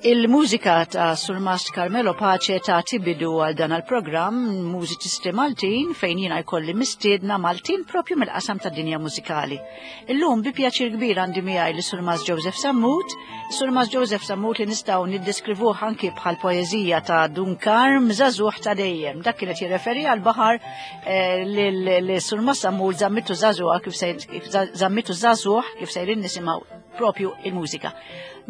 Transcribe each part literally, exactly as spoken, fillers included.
Il-mużika ta' Surmast Carmelo Pace ta' bidu għal dan il-programm Mużiċisti Maltin, fejn jiena jkolli mistiedna Maltin propju mill-qasam ta' dinja mużikali. Illum bi pjaċir kbir għandi miegħi li Surmast Joseph Sammut, Surmast Joseph Sammut li nistgħu niddeskrivuh anki bħal poeżija ta' Dun Karm, "Żagħżugħ ta' dejjem". Dak kienet jirreferi għal baħar eh, li Surmast Sammut żammitu żagħżugħ kif żammitu żagħżugħ, kif sejrin nisimgħu propju il-mużika.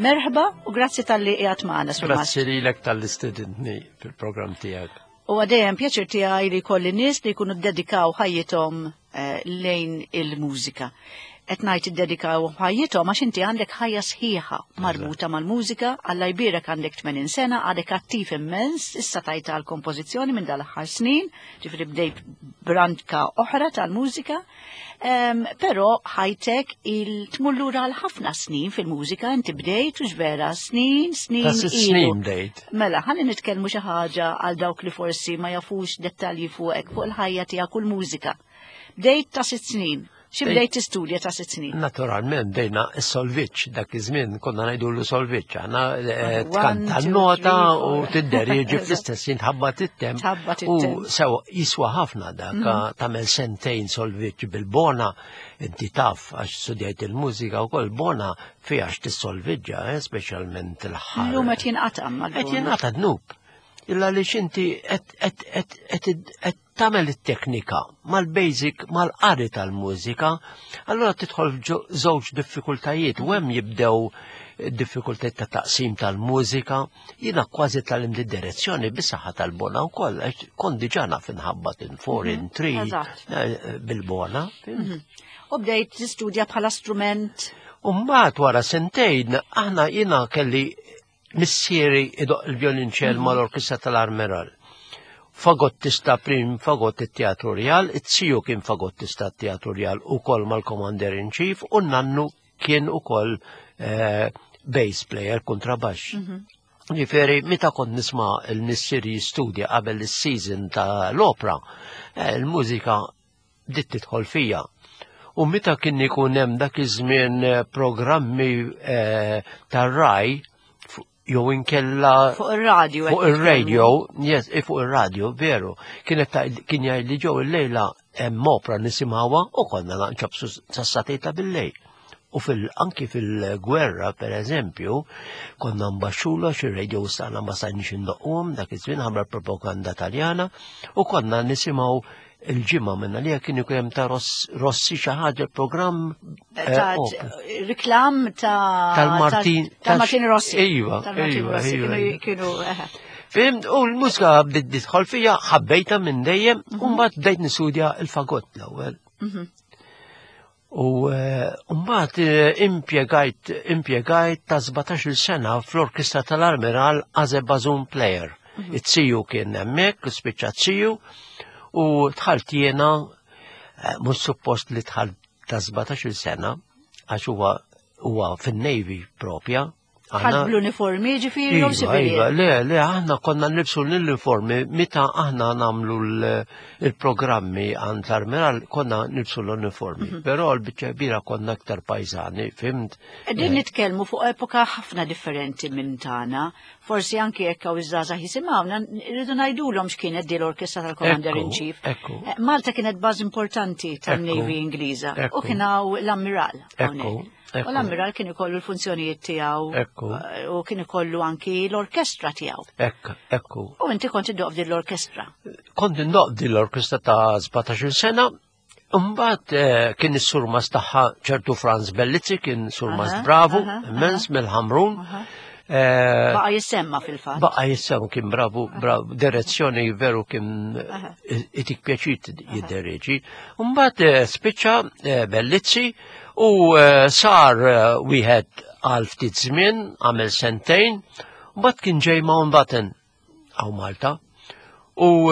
Merħba u grazzi talli qiegħed magħna. Grazzi lilek talli stedintni fil-programm tiegħek. U għadejjem pjaċir tiegħi li kolli nies li jkunu dedikaw ħajjithom eh, lejn il-mużika. Qed ngħid iddedikaw ħajjithom għax inti għandek ħajja sħiħa marbuta mal-mużika. Alla jbierek, għandek tmenin sena, għadek attiv immens, issa tajta għal kompożizzjoni minn dal-aħħar snin, ġifieri bdejt branka oħra tal-mużika. Um, però ħajtek il-tmur lura għal ħafna snin fil-mużika, inti bdejt u vera snin, snin. Ta' snin bdejt. Mela, ħalli nitkellmu xi ħaġa għal dawk li forsi ma jafux dettalji fuqek, fuq il-ħajja tiegħek u l-mużika. Bdejt ta' sitt snin. Xi bdejt tistudja ta' sitt snin? Naturalment, bdejna s-solfeġġ, dak iż-żmien konna ngħidu solfeġġ, aħna eh, tkanta nota u tidderieġi fl-istess jien, tħabbat it-temp. U sew jiswa ħafna dak mhm. tagħmel sentejn solfeġġ bil-bona, inti taf għax studjajt il-mużika wkoll, bona fiha tissolfeġġa, eh, speċjalment il-ħar. Illum qed jinqata'. Qed jinqata' dnub. Illa li xinti qed tagħmel it-teknika mal-basic, mal-qari tal-mużika, allura tidħol żewġ diffikultajiet u hemm jibdew diffikultajiet ta' taqsim tal-mużika. Jiena kważi tgħallimt id-direzzjoni bis-saħħa tal-bona wkoll, kont diġà naf inħabbat in four, in three eh, bil-bona. Mhm. U bdejt tistudja bħala strument? U mbagħad wara sentejn aħna jiena kelli missieri idoq il-vjolinċell mhm. mal-orkestra tal-Armeral. Fagottista prim, fagott it-Teatru Real, it-siju kien fagottista t-Teatru Real u kol mal-Commander in Chief, u nannu kien u kol eh, bass player, kontrabax. Mhm. Ġifieri, meta kont nisma' il-missieri jistudja qabel il-season ta' l-opera, eh, il-mużika bdiet tidħol fija. U meta kien ikun hemm dak iż-żmien eh, programmi eh, tar-Rai jew inkella fuq ir-radio. Fuq ir-radio, yes, eh, fuq ir-radio, veru. Kienet kien jgħid li ġew il-lejla hemm opra nisimgħuha u konna nċapsu sas-sagħtejn ta' bil-lejl. U fil anki fil-gwerra, per eżempju, konna nbaxxula xi radio stana ma stajniex indoqquhom dak iż-żmien ħabba propaganda Taljana, u konna nisimgħu il-ġimgħa minna li kien ikun hemm ta' Rossi xi ħaġa, programm. Eh, reklam ta' tal-Martin tal-Martin Rossi. Iva, iva, iva. Kienu Fhimt, u l-mużika bdiet tidħol fija, ħabbejta minn dejjem, u mhm. mbagħad bdejt nistudja il-fagott l-ewwel. Mhm. U eh, mbagħad eh, impjegajt impjegajt ta' sbatax-il sena fl-orkestra tal-Armiral as a bassoon player. Mhm. It-siju kien hemmhekk, spiċċa t-siju, u dħalt jiena, eh, mhux suppost li dħalt ta' sbatax-il sena, għax huwa huwa fin-Navy propja. Ħadd bl-uniformi ġifieri jew Iva, iva, le, le, aħna konna nilbsu l-uniformi meta aħna nagħmlu l-programmi għand l-Armiral, konna nilbsu l-uniformi, mhm. però l-biċċa kbira konna aktar pajzani, fhimt? Qegħdin nitkellmu fuq epoka ħafna differenti minn tagħna, forsi anki jekk hawn iż-żgħażagħ jisimgħuna, rridu ngħidulhom x'kienet di l-orkestra tal-Commander in Chief. Eh, Malta kienet baż importanti tan-Navy Ingliża u kien hawn l-Ammiral. U l-ammiral kien ikollu l-funzjonijiet tiegħu eh, u kien ikollu anki l-orkestra tiegħu. Ekku, ekku. U inti kont iddoq din l-orkestra. Kont indoq din l-orkestra ta' sbatax-il sena. Mbagħad eh, kien is-surmas tagħha ċertu Franz Bellizzi, kien surmas bravu, immens, mill-Ħamrun. Eh, Baqa jissemma fil-fatt. Baqa jissemma, kien bravu, bravu, direzzjoni veru kien itik pjaċir jiddereġi. Mbagħad spiċċa Bellizzi u sar wieħed għal ftit żmien, għamel sentejn, mbagħad kien ġej Mountbatten hawn Malta. U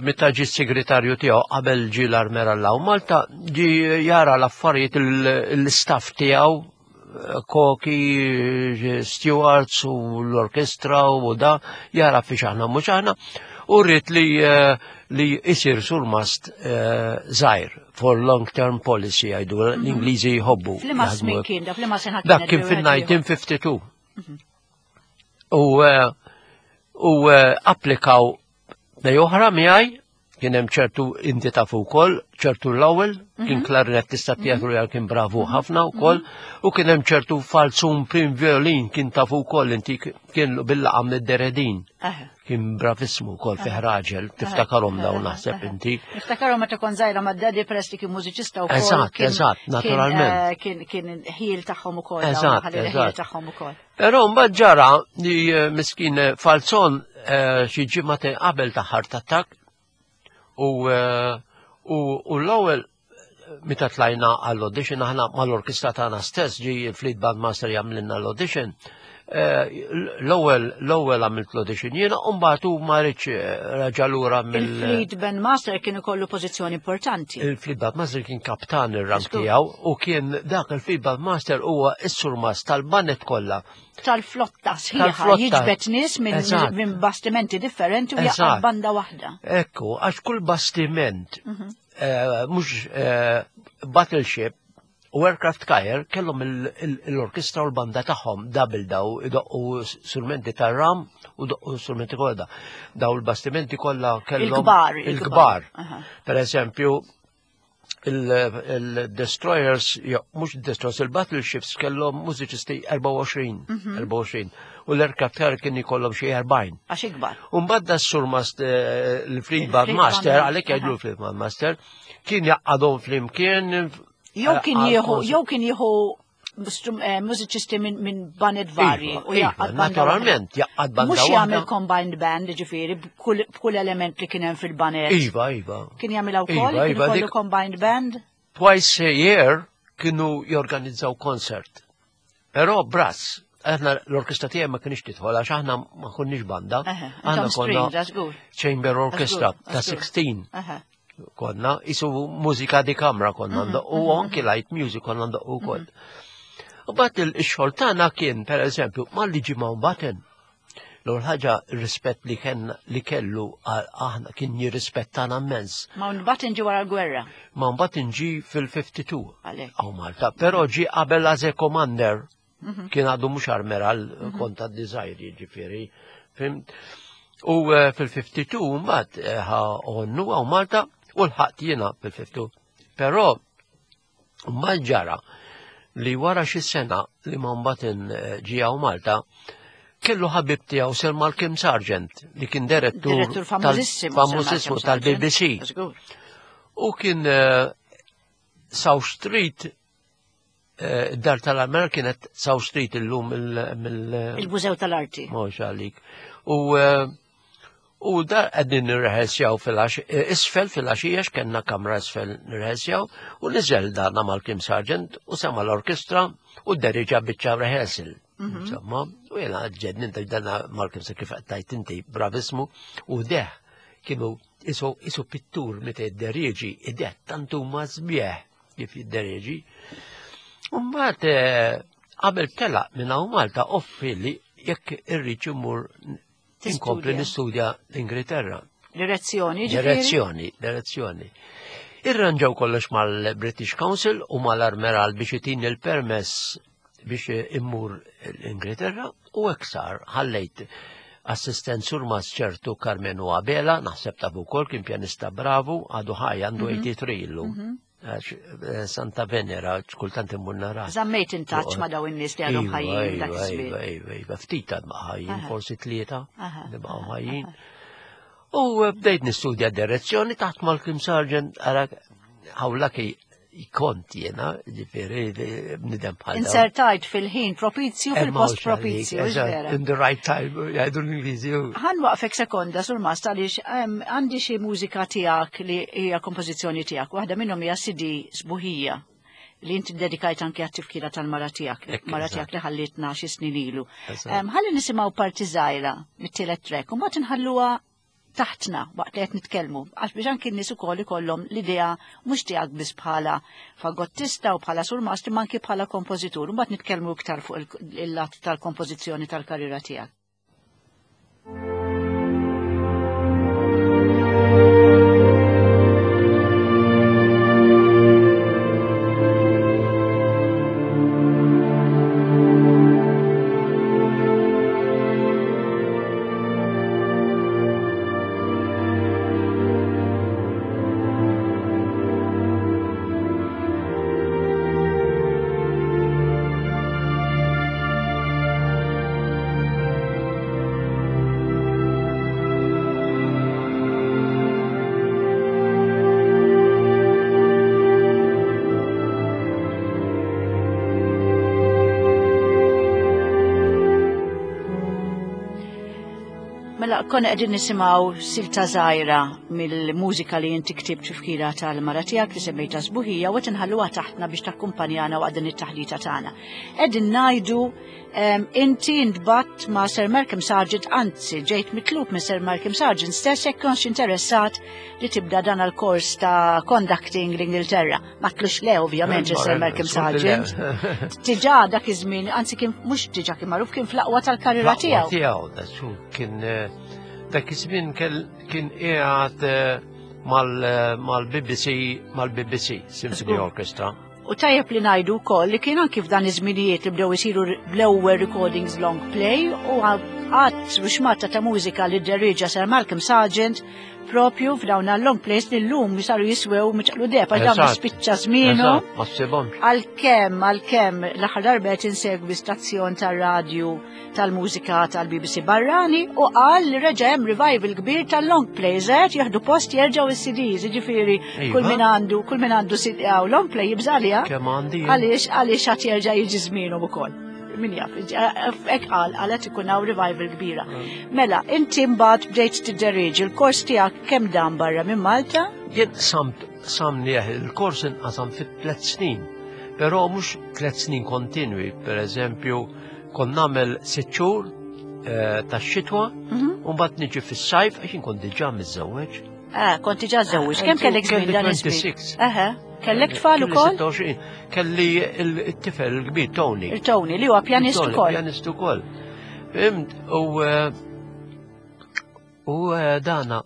meta ġi segretarju tiegħu qabel ġi l-Armeral hawn Malta, ġi jara l-affarijiet, l-istaff tiegħu, koki, stewards u l-orkestra u da, jara fi xaħna mhux aħna, u rrid li li isir surmast żgħir for long term policy jgħidu l-Ingliżi jħobbu. F'liema kien da, f'liema sena? Dak kien fil-elf disa' mija u tnejn u ħamsin. U eh, u eh, applikaw nej oħra miegħi kien hemm ċertu inti tafu wkoll, ċertu l-ewwel, kien klarinettista teatru jgħal kien bravu ħafna wkoll, u kien hemm ċertu falzun prim violin kien tafu wkoll inti kien bil-laqam id-deredin. Aha. Kien bravissmu wkoll fih raġel, tiftakarhom dawn naħseb inti. Niftakarhom meta kont żgħira mad-daddy peress li kien mużiċista wkoll. Eżatt, kien- eżatt, kien, naturalment. eh, Kien kien ħil tagħhom ukoll. dawn, Eżatt, ħalli ħil eżatt. tagħhom ukoll. Però mbagħad ġara li eh, miskin eh, Falzon eh, xi ġimgħa qabel ta' heart attack u eh, u u l-ewwel meta tlajna għall-audition aħna mal-orkestra tagħna stess ġi il-Fleet Band Master jagħmlilna l-audition. eh, L-ewwel l-ewwel għamilt l-audition jiena u mbagħad hu ma ridx eh, raġa' lura mill Il-Fleet Band Master kien ikollu pożizzjoni importanti. Il-Fleet Band Master kien kaptan ir-rank Żgur. tiegħu u kien dak il-Fleet Band Master huwa s-surmas tal-baned kollha. Tal-flotta sħiħa Tal-flotta. jiġbed nies minn Eżatt. minn bastimenti differenti u jaqgħad Eżatt. banda waħda. Ekku, għax kull bastiment, Mhm. eh, mhux eh, battleship u aircraft carrier kellhom il- il- l-orkestra u l-banda tagħhom double daw idoqqu strumenti tar-ram u doqqu strumenti kollha. Daw il-bastimenti kollha kellhom Il-kbar, il-kbar. Il-kbar. Aha. Per eżempju, il-destroyers, mhux destroyers, il-battleships kellhom mużiċisti erbgħa u għoxrin, Mhm. erbgħa u għoxrin, u l-aircraft carrier kien ikollhom xi erbgħin. Għax ikbar. Umbagħad da s-surmast il-Fleet Band Il-Fleet Master, Band, għalhekk jgħidlu aha. l-Fleet Band Master, kien jaqadhom flimkien. Jew eh, kien għal jieħu concert. jew kien jieħu strum- eh, mużiċisti minn min baned varji Iva, u iva, jaqgħad banda naturalment, waħda. jaqgħad banda Mhux waħda. jagħmel combined band, ġifieri, b'kull b'kull element li kien hemm fil-baned. Iva, iva. Kien jagħmilha wkoll, Iva, kien iva, ikollu dik- combined band. Twice a year kienu jorganizzaw concert. Però brass, aħna l-orkestra tiegħi ma kienx tidħol għax aħna ma konniex banda. Aha, Aħna intom strings, għażgur. Chamber Orchestra Għażgur, ta' għażgur. sittax Aha. konna, isu mużika di kamra konna ndoqqu, u anki light music konna ndoqqu wkoll. U bat il-xogħol tagħna kien, per eżempju, malli ġie Mountbatten. L-ewwel ħaġa rispett li kien li kellu għal aħna kien jirrispettana immens. Mountbatten ġie wara l-gwerra. Mountbatten ġi fil-ħamsa u ħamsin Għalhekk. hawn Malta, però ġi qabel as a commander, kien għadu mhux armeral konta d-desire jiġifieri. Fhimt? U eh, fil-ħamsa u tnejn mbagħad eh, ħa onnu hawn Malta u lħaqt jiena fil-ħamsa u tnejn. Però mbagħad ġara li wara xi sena li Mountbatten eh, ġie hawn Malta, kellu ħabib tiegħu Sir Malcolm Sargent li kien direttur Direttur tal- famużissimu. Sir famużissimu Malcolm Sargent. tal-B B C. Żgur. U kien eh, South Street, eh, dar tal-Amer kienet South Street illum mill- mill- Il-Mużew tal-Arti. Mhux għalik. U eh, u da qegħdin nirreħelsjaw fil-għax, isfel fil-għaxija kellna kamra isfel nirreħelsjaw u niżel dana Malcolm Sargent u sema l-orkestra u dderieġa biċċa rehearsal. Insomma, u jena ġednin ta' dana Malcolm Sargent kif tajt inti bravismu u deħ kienu isu, isu pittur meta jidderieġi, id-deħ tantu ma sbieħ kif jidderieġi. U mbagħad eh, qabel telaq minn hawn Malta offri li jekk irrid immur inkompli Tistudja. nistudja l-Ingilterra. Direzzjoni, ġifieri? Direzzjoni, direzzjoni. Irranġaw kollox mal-British Council u mal-Armeral biex itini il-permess biex immur l-Ingilterra u hekk sar ħallejt assistent surmas ċertu Carmenu Abela, naħseb ta' wkoll kien pjanista bravu, għadu ħaj għandu tmienja u tmenin illum. Għax, eh, Santa Venera, kultant immur nara. Żammejt in touch ma' daw in-nies li għadhom Iva, ħajjin dak iva, iż-żmien. Iva, iva, iva, ftit għad ma ħajjin, Aha. forsi tlieta Aha, li baqgħu ħajjin. U eh, bdejt nistudja direzzjoni taħt Malcolm Sargent, ara hawlaki kont jena, ġifieri, bnidem bħal dawn. Insertajt fil-ħin propizju Eh, fil-post mhux għalik, propizju, hux eżatt, vera? in the right time, jgħidu l-Ingliżi. Ħa nwaqqfek sekonda surmast għaliex em, għandi xi mużika tiegħek li hija kompożizzjoni tiegħek. Waħda minnhom hija C D Sbuħija li inti dedikajt anke għat-tifkira tal-mara tiegħek, Ekk, mara eżatt. tiegħek li ħallitna xi snin ilu. Eżatt. Em, Ħalli nisimgħu parti żgħira mit-tielet track u mbagħad inħalluha taħtna waqt li qed nitkellmu għax biex anki n-nies ukoll ikollhom l-idea mhux tiegħek biss bħala fagottista u bħala surmast imma anki bħala kompożitur. Mbagħad nitkellmu iktar fuq il- il-lat tal-kompożizzjoni tal-karriera tiegħek. Mela, konna qegħdin nisimgħu silta żgħira mill-mużika li inti ktibt tifkira tal-mara tiegħek li semmejta Sbuħija u qed inħalluha taħtna biex takkumpanjana waqt din it-taħlita tagħna. Qegħdin ngħidu em, inti ntbgħatt ma' Sir Malcolm Sargent, anzi ġejt mitlub minn Sir Malcolm Sargent stess jekk kontx interessat li tibda dan il-kors ta' conducting l-Ingilterra. Ma tlux le ovvjament Sir Malcolm Sargent. Diġà dak iż-żmien, anzi kien mhux diġà kien magħruf, kien fl-aqwa tal-karriera tiegħu. Tiegħu, that's kien eh, dak iż-żmien kien qiegħed eh, mal-B B C mal-B B C Symphony Orchestra. U tajjeb li ngħidu wkoll li kien anki f'dan iż-żminijiet li bdew isiru l-ewwel recordings long play u għadd ruxxmata ta' mużika li dderieġa Sir Malcolm Sargent propju f'dawn long plays li llum saru jiswew miċqlu deheb għax dawn spiċċa żmienu. Ma ssibhomx. Għalkemm, għalkemm l-aħħar darba qed insegwi stazzjon tar-radju tal-mużika tal-B B C barrani u qal li reġa' hemm revival kbir tal-long plays qed jieħdu post jerġgħu is-C Ds, jiġifieri kull min għandu kull min għandu long play jibżalja. Kemm għandi. Għaliex għaliex għad jerġa' jiġi żmienhom ukoll. Min jaf, hekk qal, qalet ikun hawn revival kbira. Mela, inti mbagħad bdejt tidderieġi, il-kors tiegħek kemm dan barra minn Malta? Jien samt samnieh il-kors inqasam fit tliet snin, però mhux tliet snin kontinwi, per eżempju, kon nagħmel sitt xhur eh, tax-xitwa, mhm. u mbagħad niġi fis-sajf għax kont diġà miżżewweġ. Ah, kont diġà żewweġ. Kemm kellek żmien dan iż-żmien? Aha. Kellek tfal ukoll? Kelli il-tifel il-kbir Tony. Il-Tony li huwa pjanist ukoll. Pjanist ukoll. Fhimt, u eh, u eh, dana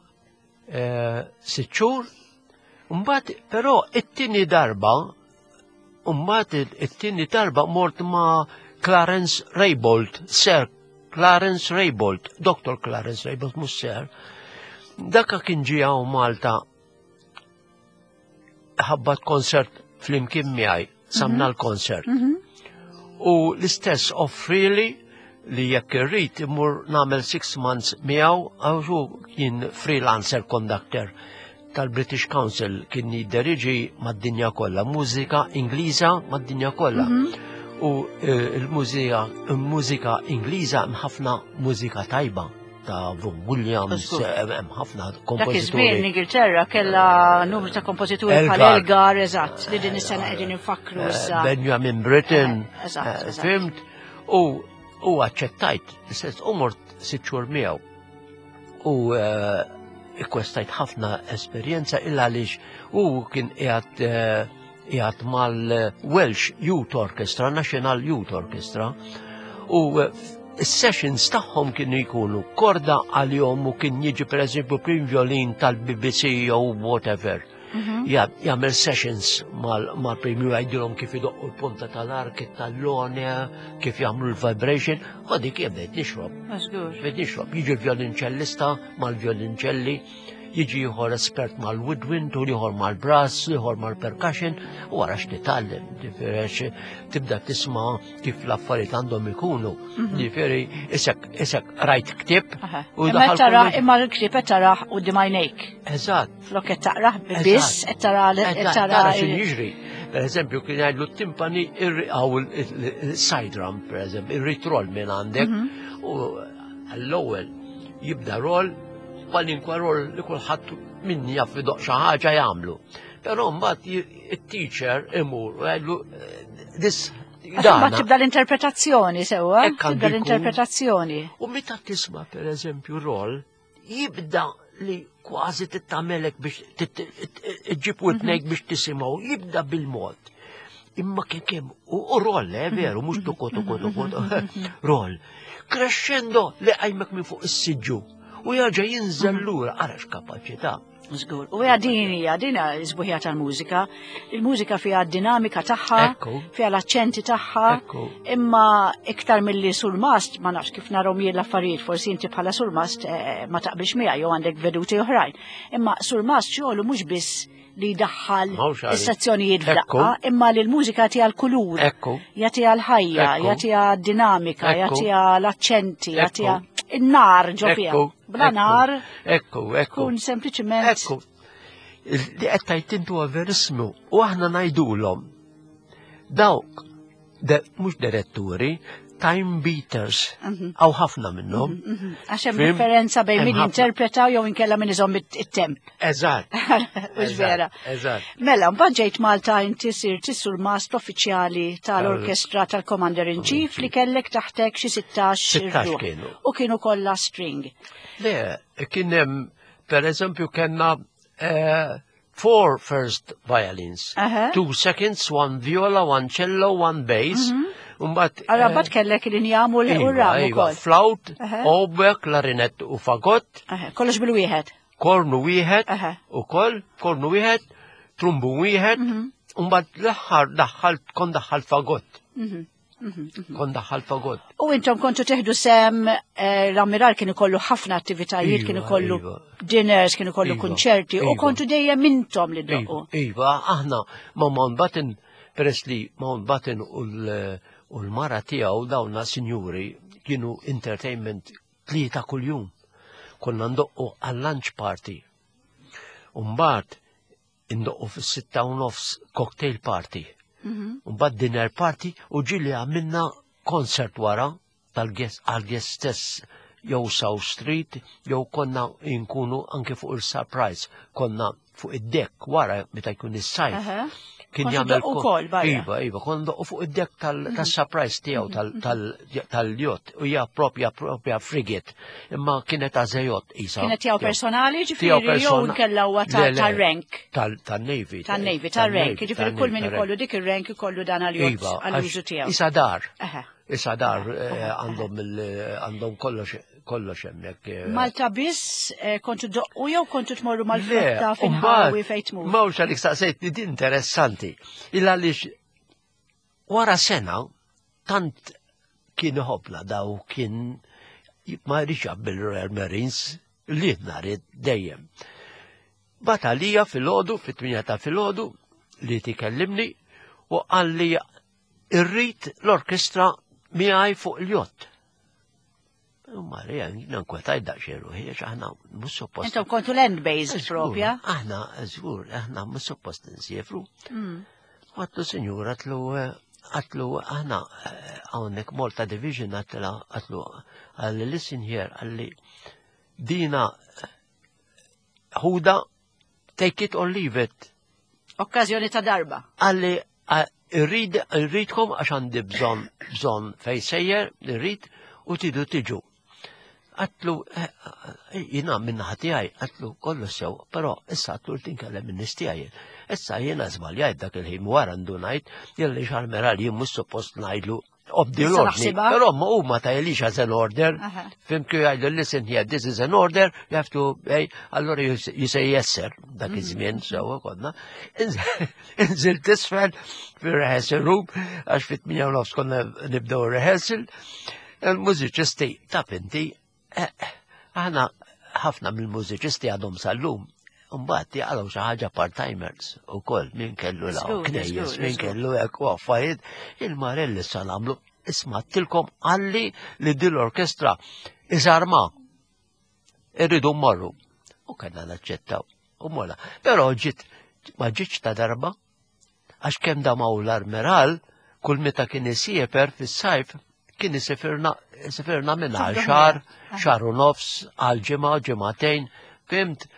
sitt xhur, mbagħad però it-tieni darba, mbagħad it-tieni darba mort ma' Clarence Raybould, Sir Clarence Raybould, Doctor Clarence Raybould, mhux Sir. Daka kien ġie Malta ħabbat konsert flimkien miegħi, samna mhm. l-konsert. Mhm. U l-istess offrili li jekk irrid imur nagħmel six months miegħu, għax kien freelancer conductor tal-British Council, kien jidderiġi mad-dinja kollha, mużika Ingliża mad-dinja kollha. Mhm. U eh, il-mużika il-mużika Ingliża hemm ħafna mużika tajba ta' Vaughan Williams, hemm ħafna kompożituri. Dak iż-żmien l-Ingilterra kellha numru ta' kompożituri bħal Elgar, eżatt, li din is-sena qegħdin infakru eh, issa. Benjamin Britten, eh, fhimt, u u aċċettajt, l-istess, u mort sitt xhur miegħu. U akwistajt ħafna esperjenza illa għaliex u kien qiegħed qiegħed mal-Welsh Youth Orchestra, National Youth Orchestra, u is-sessions tagħhom kienu jkunu korda għalihom u kien jiġi per eżempju prim violin tal-B B C jew whatever. Mhm. Jagħmel sessions mal-prim jgħidilhom kif idoqqu l-punta tal-ark, it-tallone, kif jagħmlu l-vibration, u dik bdejt nixrob. Bdejt nixrob. Jiġi l-violinċellista mal-violinċelli, jiġi ieħor espert mal-woodwind, u ieħor mal-brass, ieħor mal-percussion, u wara x'titgħallem, ġifieri tibda tisma' kif l-affarijiet għandhom ikunu. Mhm. Ġifieri isek isek rajt ktieb u Imma tara imma l-ktieb qed tarah quddiem għajnejk. Eżatt. Flok qed taqrah biss qed tara qed tara x'in jiġri. Per eżempju, kien jgħidlu timpani għaw il-side drum, per eżempju, irrid roll minn għandek, mhm. u għall-ewwel jibda roll kwalinkwa roll li kulħadd min jaf idoqq xi ħaġa jagħmlu. Però mbagħad it-teacher imur u jgħidlu this. Ma tibda l-interpretazzjoni sewwa, tibda l-interpretazzjoni. U meta tisma' per eżempju roll, jibda li kważi tittamelek biex ġib witnejk biex tisimgħu, jibda bil-mod. Imma kien kemm u roll, eh, veru, mhux tuku tuku tuku, roll. Crescendo li għajmek minn fuq is-siġġu u jerġa' jinżel lura, ara x'kapaċità. Żgur. U hija din hija din is-sbuħija tal-mużika. Il-mużika fiha d-dinamika tagħha, fiha l-aċċenti tagħha, imma iktar milli surmast, ma nafx kif narahom jien l-affarijiet, forsi inti bħala surmast eh, ma taqbilx miegħi jew għandek veduti oħrajn. Imma surmast xogħlu mhux biss li jdaħħal is-sezzjonijiet f'daqqa, imma li l-mużika jagħtiha l-kulur, jagħtiha l-ħajja, jagħtiha dinamika, jagħtiha l-aċċenti, jagħtiha in-nar ġo fiha. Bla nar. Ekku, ekku. Kun sempliċiment. Ekku. Li qed tgħid intu verismu u aħna ngħidulhom. Dawk mhux diretturi, Time beaters. Hawn ħafna minnhom. Għax hemm differenza bejn min jinterpreta jew inkella min iżomm it-temp. Eżatt. Mhux vera. Eżatt. Mela, mbagħad ġejt Malta, inti sirt is-surmast uffiċjali tal-orkestra tal-Commander in Chief li kellek taħtek xi sittax sittax kienu. U kienu kollha string. Le, kien hemm, per eżempju, kellna eh, four first violins, Uh -huh. two seconds, one viola, one cello, one bass. Mm -hmm. Umbat, Allora, mbagħad kellek l-injam u l-ram ukoll. Flute, oboe, klarinett u fagott. Kollox bil-wieħed. Kornu wieħed, ukoll, kornu wieħed, trumbu wieħed, Umbagħad l-aħħar daħħalt, kon daħħalt fagott. Kon daħħalt fagott. U intom kontu teħdu sehem, l-ammiral kien ikollu ħafna attivitajiet, kien ikollu dinners, kien ikollu konċerti, u kontu dejjem intom li ddoqqu. Iva, aħna ma' Mountbatten, peress li Mountbatten u l- u l-mara tiegħu, dawna sinjuri, kienu entertainment tlieta kuljum. Konna ndoqqu għal-lunch party. Umbagħad indoqqu fis-sitta u nofs cocktail party. Umbagħad dinner party u ġieli għamilna concert wara tal-guest għal-guest stess, jew South Street, jew konna inkunu anke fuq il-Surprise, konna fuq id-deck wara meta jkun is-sajf. Kien jagħmel ukoll barra. Iva, iva, konna ndoqqu fuq id-deck tal-Surprise tiegħu tal-yacht u hija propja propja frigate, imma kienet as a yacht isa. Kienet tiegħu personali, ġifieri, jew inkella huwa tal-rank? Tal-Navy. Tal-Navy, tal-rank, ġifieri kull min ikollu dik ir-rank ikollu dan għal-yacht għall-użu tiegħu. Isa dar. Issa dar għandhom għandhom kollox kollox hemmhekk. Malta biss kontu doqqu jew kontu tmorru mal-flotta fil-ħawi fejn tmur? Mawx għalik staqsejt li din interessanti. Illa għaliex wara sena tant kien iħobbna daw, kien ma jridx bil Royal Marines li nhar dejjem. Batalija fil-ħodu, fit-tmienja ta' fil-ħodu, li tikellimni u qalli irrid l-orkestra miegħi fuq il-jott. U Marija, jiena nkwetajt daqsxejn ruħi, għax aħna mhux suppost. Intom kontu land based propja? Aħna, żgur, aħna mhux suppost nsiefru. Għedtlu, sinjura, għedtlu, għedtlu, aħna hawnhekk Malta Division, għedtlu, għedtlu, qalli, listen here, qalli, dina ħuda, take it or leave it. Okkażjoni ta' darba. Qalli, irrid, irridkom għax għandi bżonn, bżonn fej sejjer, irrid u tidu tiġu. Għedtlu, jiena minna tiegħi, għedtlu kollu sew, però issa għedtlu tinkellem minn tiegħi. Issa jiena żbaljajt dak il-ħin, wara ndunajt, jelli xarmeral jien mhux suppost ngħidlu obdi l-ordni. Però ma huma ta jelix as an order, fhimt, kif jgħidu, listen here, this is an order, you have to, hey, allora you, you say yes sir, dak iż-żmien sewa konna. Inżil tisfel fir-rehearsal room, għax fit-tmienja u nofs konna nibdew rehearsal, il-mużiċisti ta' pinti, aħna ħafna mill-mużiċisti għadhom sal-lum. Mbagħad jaqalgħu xi ħaġa part-timers ukoll, min kellu law knejjes, min kellu hekk u affarijiet, il-Marelli sa nagħmlu, isma' tilkom qalli li din l-orkestra iżarma. Irridu mmorru. U kellna naċċettaw. U mola. Però ġiet ma ġietx ta' darba, għax kemm damaw l-armeral, kull meta kien isiefer fis-sajf, kien isifirna isifirna minn għal xahar, xahar u nofs, għal ġimgħa, ġimagħtejn, fhimt?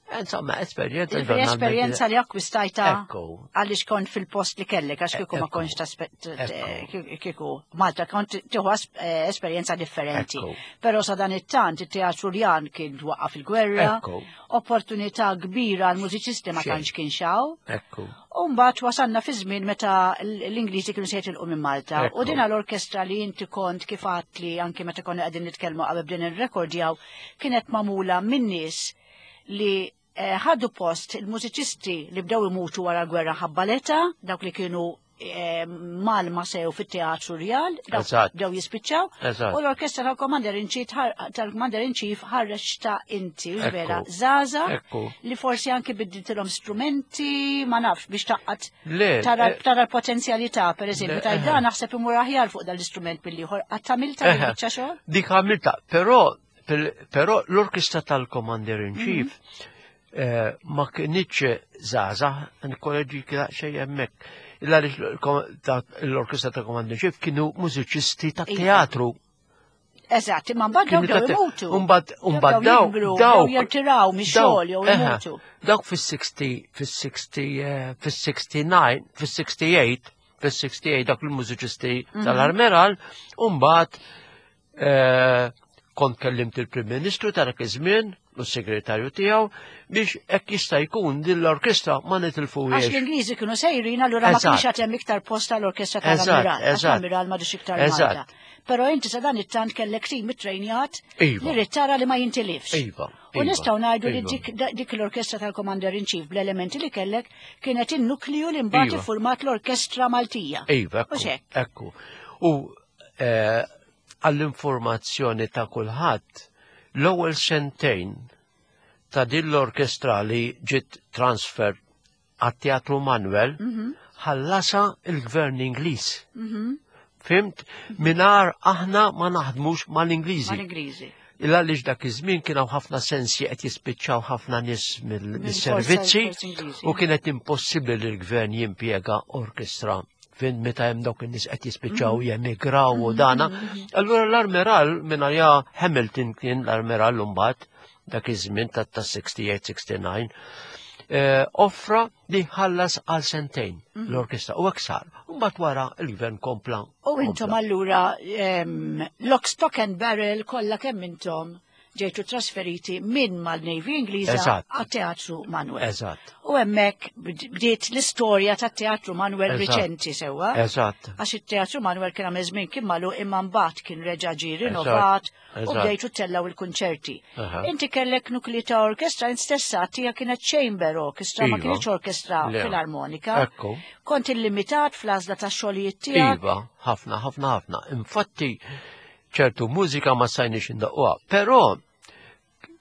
Insomma, esperjenza. Esperjenza li akkwistajta għaliex kont fil-post li kellek, għax kieku ma kontx kieku Malta kont tieħu esperjenza differenti. Però sa dan it-tant it-Teatru Rjal kien waqaf il-gwerra, opportunità kbira għal mużiċisti ma tantx kien xaw. U mbagħad wasalna fi żmien meta l-Ingliżi kienu se jitilqu minn Malta. U din l-orkestra li inti kont kif li anke meta konna qegħdin nitkellmu qabel bdejna nirrekordjaw kienet magħmula minn nies li ħadu post il-mużiċisti li bdew imutu wara l-gwerra ħabba l-età, dawk li kienu malma sew fit-Teatru Rjal, dawk bdew jispiċċaw. U l-orkestra tal-Commander in Chief tal-Commander in Chief ħarreġ ta' inti, vera, żgħażagħ li forsi anki biddiltilhom strumenti, ma nafx, biex taqqat tara l-potenzjalità, per eżempju, ta' dan naħseb imur aħjar fuq dal-istrument bil-ieħor. Qatt għamilta biċċa xogħol? Dik għamilta, però però l-orkestra tal-Commander in Chief ma kienitx żgħażagħ, nkolleġi xejn hemmhekk. L-orkestra ta' Commander Chief kienu mużiċisti ta' teatru. Eżatt, imma mbagħad dawk bdew imutu. Mbagħad mbagħad daw daw jirtiraw mix-xogħol jew imutu. Dawk fis-sixty fis-sixty fis-sixty-nine fis-sixty-eight fis-sixty-eight dak il-mużiċisti tal-Armeral, u mbagħad kont kellimt il-Prim Ministru ta' dak iż-żmien u s-segretarju tiegħu biex hekk jista' jkun din l-orkestra ma nitilfuhiex. Għax l-Ingliżi kienu sejrin, allura ma kienx għad hemm iktar post tal-orkestra tal-Ammiral. Għax l-Ammiral m'għadux iktar Malta. Però inti sa dan it-tant kellek tim ittrejnjat li rrid tara li ma jintilifx. Iva. U nistgħu ngħidu li dik l-orkestra tal-Commander in Chief bl-elementi li kellek kienet in-nukliju li mbagħad iffurmat l-Orkestra Maltija. Iva, ekku. U għall-informazzjoni ta' kulħadd, l-ewwel sentejn ta' din l-orkestra li ġiet transfer għat-Teatru Manuel ħallasa il-Gvern Ingliż. Fimt? Minar aħna ma naħdmux mal-Ingliżi. Mal-Ingliżi. Illa għaliex dak iż-żmien kien hawn ħafna sensi qed jispiċċaw ħafna nies mill-servizzi u kienet impossibbli li l-gvern jimpjega orkestra fin meta hemm dawk in-nies qed jispiċċaw jemigraw u dana. Allura l-Armeral minn għalija Hamilton kien l-Armeral mbagħad dak iż-żmien ta' sixty-eight sixty-nine offra li ħallas għal sentejn l-orkestra u hekk sar. Mbagħad wara l-gvern kompla. U intom allura lock, stock and barrel kollha kemm intom ġejtu trasferiti minn mal-Navy Ingliża għat-Teatru Manuel. Eżatt. U hemmhekk bdiet l-istorja tat-Teatru Manuel riċenti sewwa. Eżatt. Għax it-Teatru Manuel kien għamel żmien kien magħluq imma mbagħad kien reġa' ġie rinnovat u bdejtu tellgħu il-kunċerti. Inti kellek nukli ta' orkestra int stessa tiegħek kienet chamber orchestra, ma kienx orkestra filarmonika. Kont illimitat fl-għażla tax-xogħlijiet tiegħek. Iva, ħafna, ħafna, ħafna. Infatti ċertu mużika ma sajniex indaqquha, però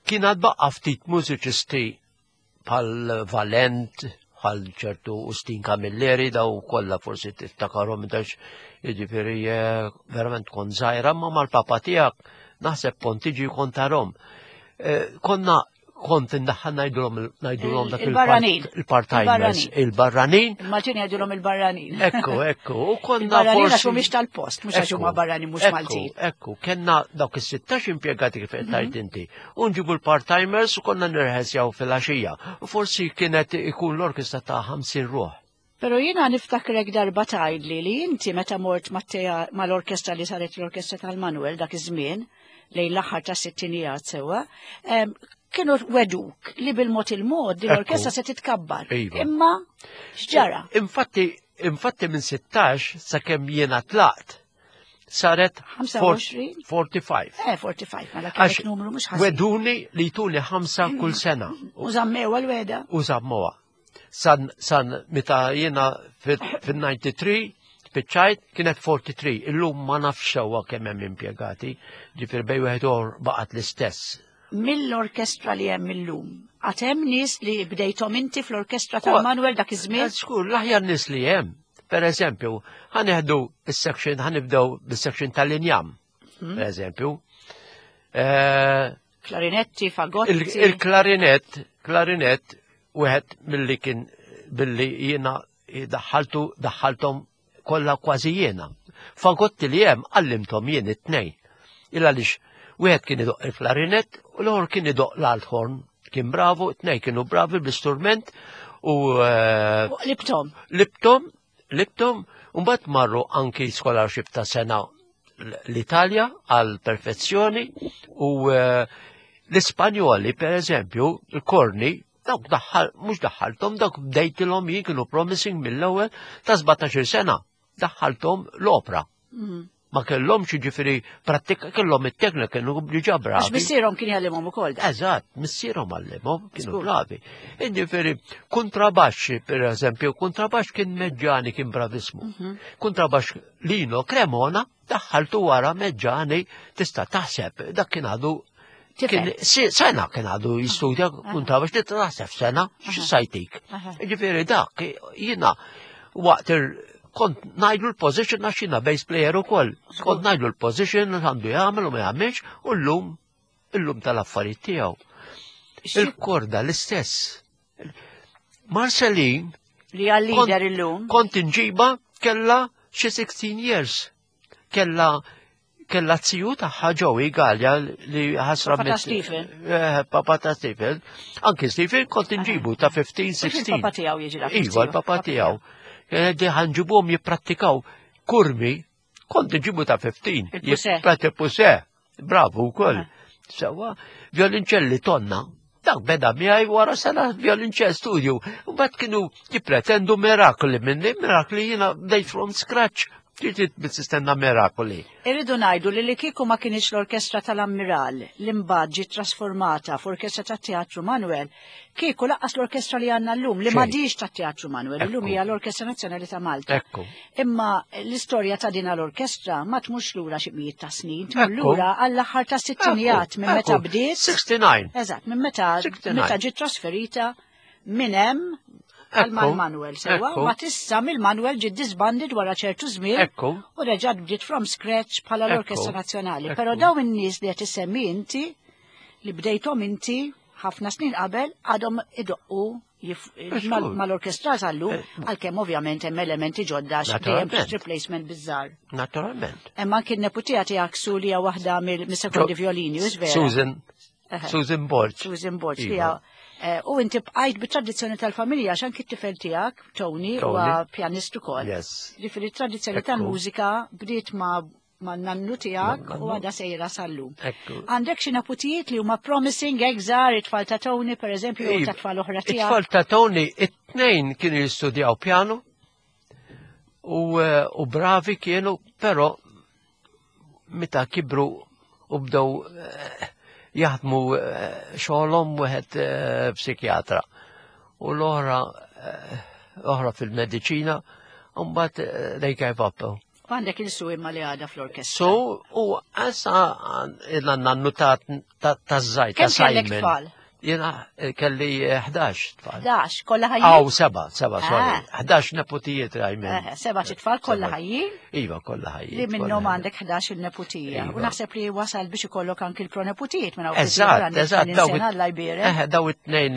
kien għad baqa ftit mużiċisti bħal Valent, bħal ċertu Ustin Camilleri, daw kollha forsi tiftakarhom dax, jiġifieri verament kont żgħira, ma mal-papa tiegħek naħseb kont tiġi kont tarhom. Konna kont indaħħal ngħidulhom ngħidulhom dak il-barranin. Il-part-timers, il-barranin. Il-Maltin jgħidulhom il-barranin. Ekku, ekku. U konna il-barranin għax mhumiex tal-post, mhux għax huma barranin mhux Maltin. Ekku, kellna dawk is-sittax impjegati kif qed tgħid inti. U nġibu l-part-timers u konna nirħesjaw fil-għaxija. U forsi kienet ikun l-orkestra ta' ħamsin ruħ. Pero jiena niftakrek darba tgħidli li inti meta mort mal-orkestra li saret l-orkestra tal-Manuel dak iż-żmien lejn l-aħħar ta' sittinijiet sewwa, kienu weduk li bil-mod il-mod din l-orkestra se titkabbar. Imma x'ġara? Infatti, infatti minn sittax sakemm jiena tlaqt saret forty-five. Eh, forty-five, mela kellek numru mhux ħażin. Weduni li jtuni ħamsa kull sena. U żammewha l-weda. U żammuha. San, san meta jiena fin-ninety-three spiċċajt kienet forty-three. Illum ma nafx sewwa kemm hemm impjegati, ġifier bej wieħed ieħor baqgħet l-istess. Mill-orkestra li hemm illum, għad hemm nies li bdejthom inti fl-orkestra tal-Manuel dak iż-żmien? Żgur, l-aħjar nies li hemm. Per eżempju, ħaneħdu is-section, ħanibdew bis-section tal-injam, per eżempju. Klarinetti, fagotti. Il-klarinett, klarinett, wieħed milli kien billi jiena daħħaltu, daħħalthom kollha kważi jiena. Fagotti li hemm għallimthom jien it-tnejn. Il għaliex wieħed kien idoq il-klarinett u l-ieħor kien idoq l-althorn. Kien bravo, it-tnejn kienu bravi bl-istrument u, U libtom. Libtom, libtom, u mbagħad marru anki scholarship ta' sena l-Italja għal perfezzjoni u l-Ispanjoli, per eżempju, il-korni, dawk daħħal, mhux daħħalthom, dawk bdejtilhom jien kienu promising mill-ewwel ta' sbatax-il sena, daħħalthom l-opra. Ma kellhomx jiġifieri prattika, kellhom it-teknika, kienu diġà bravi. Għax missierhom kien jgħallimhom ukoll. Eżatt, missierhom għallimhom, kienu bravi. Jiġifieri kontrabaxxi, per eżempju, kontrabaxx kien Meġġani, kien bravismu. Kontrabaxx Lino Cremona daħħaltu wara Meġġani, tista' taħseb, dak kien għadu Kien sena kien għadu jistudja kontrabaxx, tista' taħseb sena, x'sajtik. Jiġifieri dak jiena waqt il kont ngħidlu l-position għax jiena bass player ukoll. Kont ngħidlu l-position għandu jagħmel u ma jagħmilx u llum illum tal-affarijiet tiegħu. Il-korda l-istess. Marcelin Li għal-lider illum. Kont inġiba kella xi sixteen years. Kella kella ziju tagħha Joey Gallia li ħasra Papa ta' Stephen. Eh, papa ta' Stephen. Anki Stephen kont inġibu ta' fifteen, sixteen. Il-papa tiegħu jiġi dak. Iva, il-papa tiegħu. Di ħanġibuhom jipprattikaw kurmi, kont inġibu ta' fifteen. Il-puse. Jipprattikaw Bravo wkoll. Sewa, violinċelli tonna. Dak beda miegħi wara sena violinċell studio. U mbagħad kienu jippretendu mirakoli minni, mirakoli jiena bdejt from scratch. Ġiet tistenna mirakoli. Irridu ngħidu li li kieku ma kienx l-orkestra tal-Ammiral li mbagħad ġiet trasformata f'orkestra tat-Teatru Manuel, kieku laqqas l-orkestra li għandna llum li m'għadix tat-Teatru Manuel, illum hija l-Orkestra Nazzjonali ta' Malta. Ekku. Imma l-istorja ta' din l-orkestra ma tmurx lura xi mijiet ta' snin, tmur lura għall-aħħar ta' sittinijat minn meta bdiet. sixty-nine. Eżatt, minn meta meta ġiet trasferita minn hemm għal Manuel sewa, ma tissa mill-Manuel ġiet disbanded wara ċertu żmien u reġgħet bdiet from scratch bħala l-Orkestra Nazzjonali. Però dawn in-nies li qed issemmi inti, li bdejthom inti ħafna snin qabel, għadhom idoqqu mal-orkestra tal-lum, għalkemm ovvjament hemm elementi ġodda dejjem replacement biżżar. Naturalment. Imma anki n-neputija tiegħek Su li hija waħda mill-sekondi violini, u vera. Susan. Susan Borg. Susan Borg, li hija. U inti bqajt bit-tradizzjoni tal-familja, għax anki t-tifel tiegħek, Tony, huwa pjanist ukoll. Ġifieri t-tradizzjoni tal-mużika bdiet ma' nannu tiegħek u għadha sejra sal-lum. Għandek xi neputijiet li huma promising, egżar, it-tfal ta' Tony, pereżempju, u ta' tfal oħra tiegħek. It-tfal ta' Tony, it-tnejn kienu jistudjaw pjanu u bravi kienu, però meta kibru u bdew jaħdmu xogħolhom wieħed psikjatra u l-oħra oħra fil-mediċina u mbagħad they gave up. U għandek il-su imma li għadha fl-orkestra. So, u għasa il-nannu ta' żgħir, ta' Kemm kellek Simon. tfal? Jiena kelli ħdax tfal. Ħdax, kollha ħajjin? Aw, seba, seba, sorry. Ħdax neputijiet rajmen. Seba tfal kollha ħajjin? Iva, kollha ħajjin. Li minnhom għandek ħdax il-neputija. U naħseb li wasal biex ikollok anki l-proneputijiet minn hawn. Eżatt, eżatt. Alla jbierek. Daw it-tnejn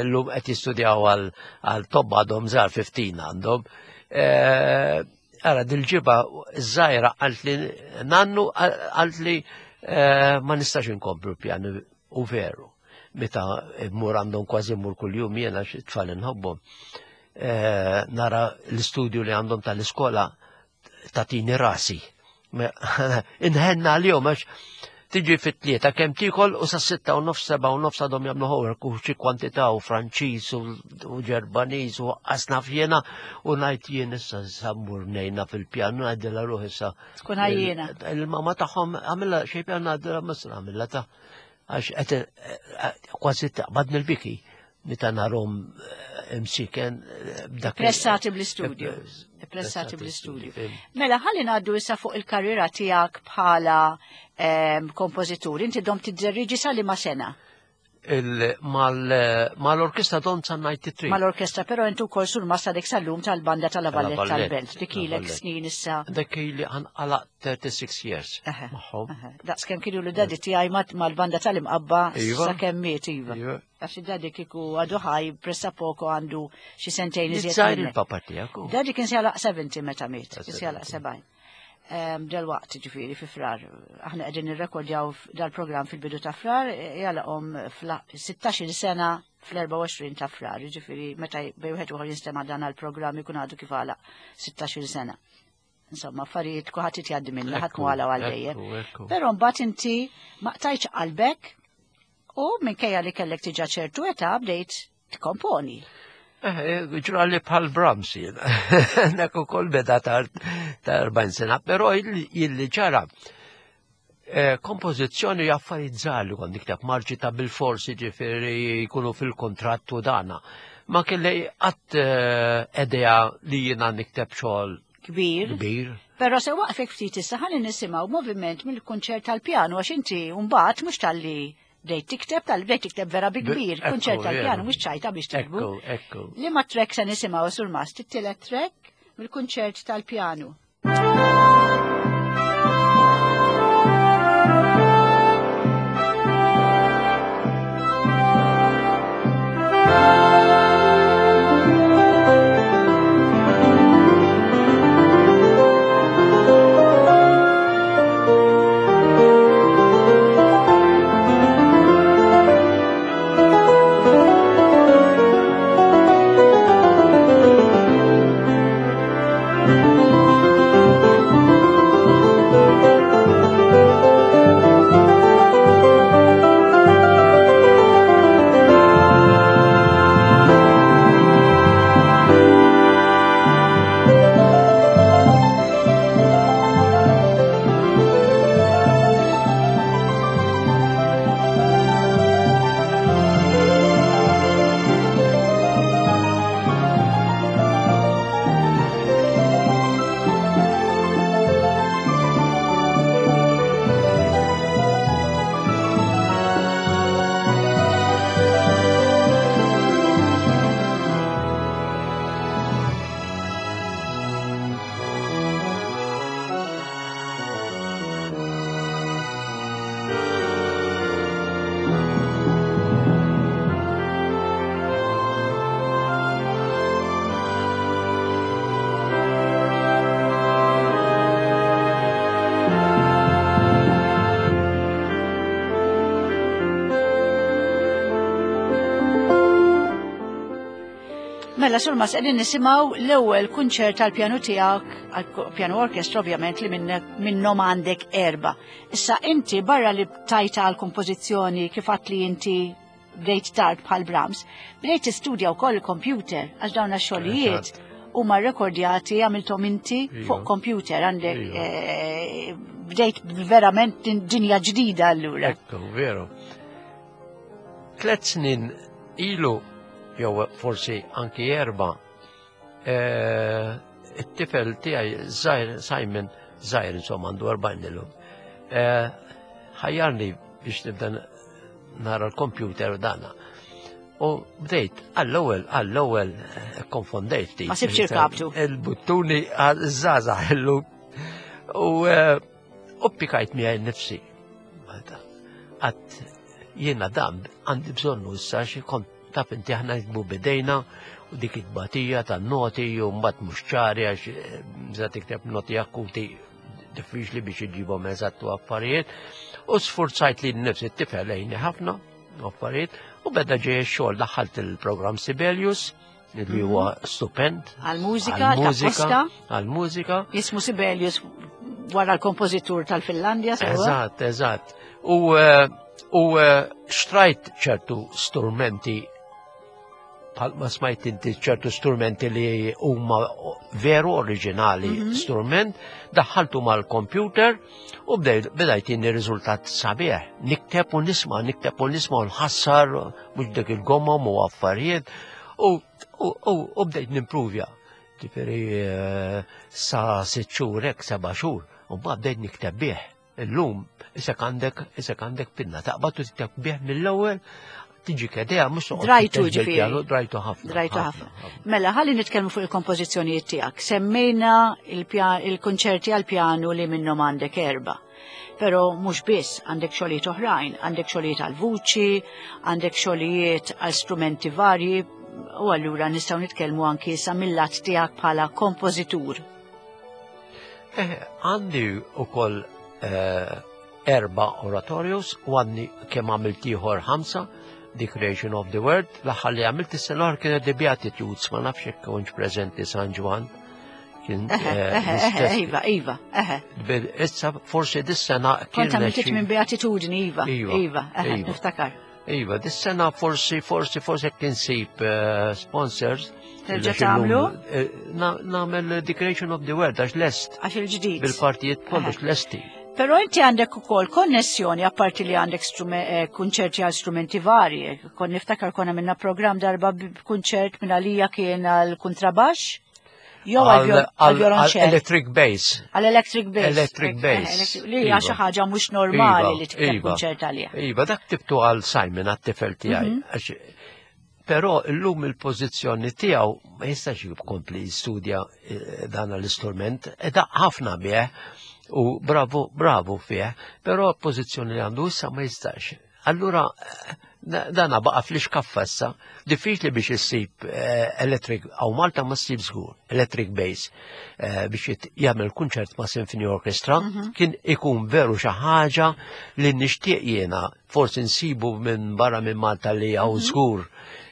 llum qed jistudjaw għal tobba għadhom żgħar fifteen għandhom. Ara, dil-ġiba żgħira qalt li nannu qalt li ma nistax inkomplu pjanu u veru. Meta mmur għandhom kważi mmur kuljum jiena xi tfal inħobbhom. Nara l-istudju li għandhom tal-iskola tatini rasi. Inħenna għalihom għax tiġi fit-tlieta kemm tiekol u sa sitta u nofs, seba' u nofs għadhom jagħmlu homework u xi kwantità u Franċiż u Ġermaniż u qasna fjena u ngħid jien issa sammur ngħinna fil-pjanu ngħidilha ruħ issa. Tkun għajjiena. Il-mamma tagħhom għamilha xi pjan ngħidilha misra għamilha ta' għax qed kważi taqbadni l-biki meta narhom imsiken b'dak. Pressati bl-istudju. Pressati bl-istudju. Mela ħalli ngħaddu issa fuq il-karriera tiegħek bħala kompożitur. Inti dom tidderiġi sa liema sena? Mal-orkestra dom sa ninety-three. Mal-orkestra, però inti wkoll sur massa dik sal-lum tal-banda tal-Valletta tal-Belt. Dik ilek snin issa. Dik ili għalaq thirty-six years. Magħhom. Daqs kemm kienu l-dadi tiegħi mal-banda tal-Imqabba sakemm miet iva. Għax id-dadi kieku għadu ħaj pressa poko għandu xi sentejn iżjed. Żgħir il-papa tiegħek. Dadi kien se jagħlaq seventy meta miet, kien se jagħlaq sebgħin. Dal-waqt ġifieri fi frar. Aħna qegħdin nirrekordjaw dal-programm fil-bidu ta' frar, jagħlaqhom sittax-il sena fl-erbgħa u għoxrin ta' frar, ġifieri meta bej wieħed ieħor jinstema' dan għall-programm ikun għadu kif għalaq sittax-il sena. Insomma, affarijiet kulħadd jgħaddi minnha, ħadd mhu għala għal dejjem. Però mbagħad inti ma qtajtx qalbek u minkejja li kellek diġà ċertu età bdejt tikkomponi. Ġrali bħal Brahms jiena. Dak ukoll beda ta' erbgħin sena, però illi ġara kompożizzjoni affarijiet żgħar li kont nikteb marċi ta' bil-forsi ġifieri jkunu fil-kontratt u dana. Ma kelli qatt idea li jiena nikteb xogħol kbir. Kbir. Però se waqfek ftit issa ħalli nisimgħu moviment mill-kunċert tal-pjanu għax inti mbagħad mhux talli bdejt tikteb, tal bdejt tikteb vera bi kbir, kunċert tal-pjanu mhux ċajta biex tikbu. Ekku, ekku. Liema track se nisimgħu sur mast, it-tielet track mill-kunċert tal-pjanu. Thank you. Mela, Surmast, qegħdin nisimgħu l-ewwel kunċert tal-pjanu tiegħek, għal-pjanu orkestra ovvjament li minnhom għandek erba. Issa inti barra li tajta għal-kompożizzjoni kif għedt li inti bdejt tard bħal Brahms, bdejt tistudja wkoll il-computer għax dawn xogħlijiet huma rekordjati għamilthom inti fuq computer għandek eh, bdejt verament dinja ġdida allura. Ekku, veru. Tlet snin ilu jew forsi anki erba, eh, it-tifel tiegħi żgħir Simon, żgħir insomma għandu erbgħin illum. Eh, ħajjarni biex nibda nara l-computer u dana. U bdejt, għall-ewwel, għall-ewwel eh, konfondejt ftit. Ma sibx irkabtu. Il-buttuni għal-żgħażagħ illum. U u pikajt miegħi nifsi. Għedt jiena dan għandi bżonnu issa xi kont taf inti aħna niktbu bidejna u dik it-batija tan-noti u mbagħad mhux ċari għax meta tikteb noti akuti diffiċli biex iġibhom eżattu affarijiet. U sfurzajt li nnifsi t-tifel għinni ħafna affarijiet u beda ġej xogħol daħħalt il-programm Sibelius li huwa stupend. Għal-mużika, għal-mużika. Għal-mużika. Jismu Sibelius wara l-kompożitur tal-Finlandja, sewa? Eżatt, eżatt. U eh, u eh, xtrajt ċertu strumenti bħalma smajt inti ċertu strumenti li huma veru oriġinali mm -hmm. strument, daħħaltu mal-computer u bdejt jini riżultat sabiħ. Nikteb u nisma, nikteb u nisma u nħassar, mhux dik il-gomom u affarijiet, u, u, u, u bdejt nimpruvja. Ġifieri eh, sa sitt xhur hekk seba' xhur, u mbagħad bdejt nikteb bih. Illum, isek għandek, isek għandek pinna, taqbad u tikteb bih mill-ewwel tiġi kedea, mhux toqgħod Drajtu tikteb ġifieri. bil-pjanu, drajtu ħafna. Drajtu ħafna. Mela, ħalli nitkellmu fuq il-kompożizzjonijiet tiegħek. Semmejna il-konċerti għal-pjanu li minnhom għandek erba. Però mhux biss għandek xogħlijiet oħrajn, għandek xogħlijiet għal vuċi, għandek xogħlijiet għal strumenti varji, u allura nistgħu nitkellmu anki sa mill-lat tiegħek bħala kompożitur. Eh, għandi ukoll eh, erba oratorios u għandi kemm għamilt ieħor ħamsa, The Creation of the World, l-aħħar li għamilt is-sena l kienet The Beatitudes, ma nafx jekk kontx preżenti San Ġwann. Kien Eħe, eh, eħe, eħe, l-istess. Iva, iva, eħe. Issa forsi dis-sena Kont kien għamilt minn Beatitudni, iva, Iva, iva, eħe, iva. niftakar. Iva, dis-sena forsi, forsi, forsi jekk insib eh, sponsors. Terġa' Illum, tagħmlu? eh, na- Nagħmel The Creation of the World, għax lest. Għax il-ġdid. Bil-partijiet kollox lesti. Però inti għandek ukoll konnessjoni apparti li għandek strume- eh, kunċerti għal strumenti varji. Kon niftakar konna minna program darba b'kunċert minn għalija kien għal kontrabax jew għal violonċell. Electric bass. Għal electric bass. Electric Eh, bass. electric- Li hija Iva. xi ħaġa mhux normali Iva, li tikteb iva. kunċert għaliha. Iva, dak ktibtu għal Simon, għat-tifel tiegħi. Mhm. Għax- Però illum il-pożizzjoni tiegħu ma jistax jkompli jistudja eh, dan l-istrument, e daqq ħafna bih u bravo, bravo fih, però l-pożizzjoni li għandu issa ma jistax. Allura eh, da- dana baqa fl-iskaffa issa, diffiċli biex issib eh, electric, hawn Malta ma ssib żgur, electric bass, eh, biex jit- jagħmel kunċert ma' Symphony Orchestra, kien ikun veru xi ħaġa li nixtieq jiena forsi nsibu minn barra minn Malta li hawn żgur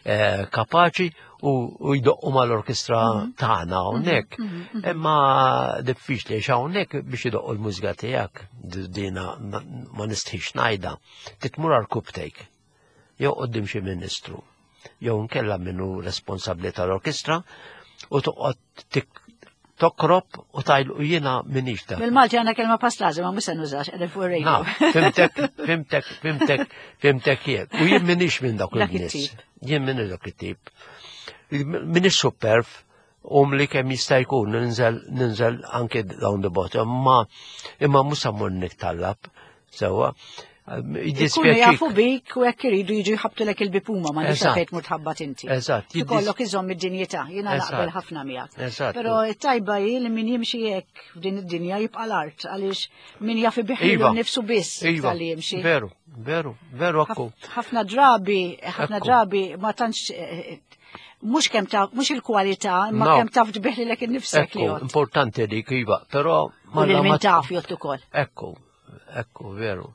eh, kapaċi u, u jdoqqu mal-orkestra tagħna hawnhekk. Imma diffiċli għax hawnhekk biex idoqqu l-mużika tiegħek dina ma ma nistħix ngħidha. Titmur għal jew qoddim xi ministru, jew nkella minnu responsabbli tal-orkestra u toqgħod tik- tokrob u tgħidlu jiena minix ta' Bil-Malti għandna kelma paslaza, ma mhux se nużax, qegħdin fuq ir-radio. Na, fhimtek, fhimtek, fhimtek, fhimtek jien. U jien minix minn dak Dak il-nies. it-tip. Jien minix dak it-tip. Minix superb, um li kemm jista' jkun ninżel ninżel anke down the bottom, ma imma mhux sa mmur nittallab. Sewwa. Ikunu Jiddispjaċik. jafu bik u jekk iridu jiġu jħabbtulek il-bieb huma ma nix Eżatt. fejn tmur tħabbat inti. Eżatt, jiddis- Ikollok iżomm id-dinjità, jiena Eżatt. naqbel ħafna miegħek. Eżatt. Però it-tajba hi li min jimxi hekk f'din id-dinja jibqa' l-art għaliex min jaf ibiħilu Iva. nnifsu biss Iva, tal-li jimxi. veru, veru, veru akku. Ħafna drabi, ħafna Ekku. drabi ma tantx eh, mhux kemm taf, mhux il-kwalità, imma No. kemm taf tbiħlilek innifsek li Ekku, jgħod. importanti dik, iva, però U lil la min ma taf jgħod ukoll. Ekku, ekku, veru.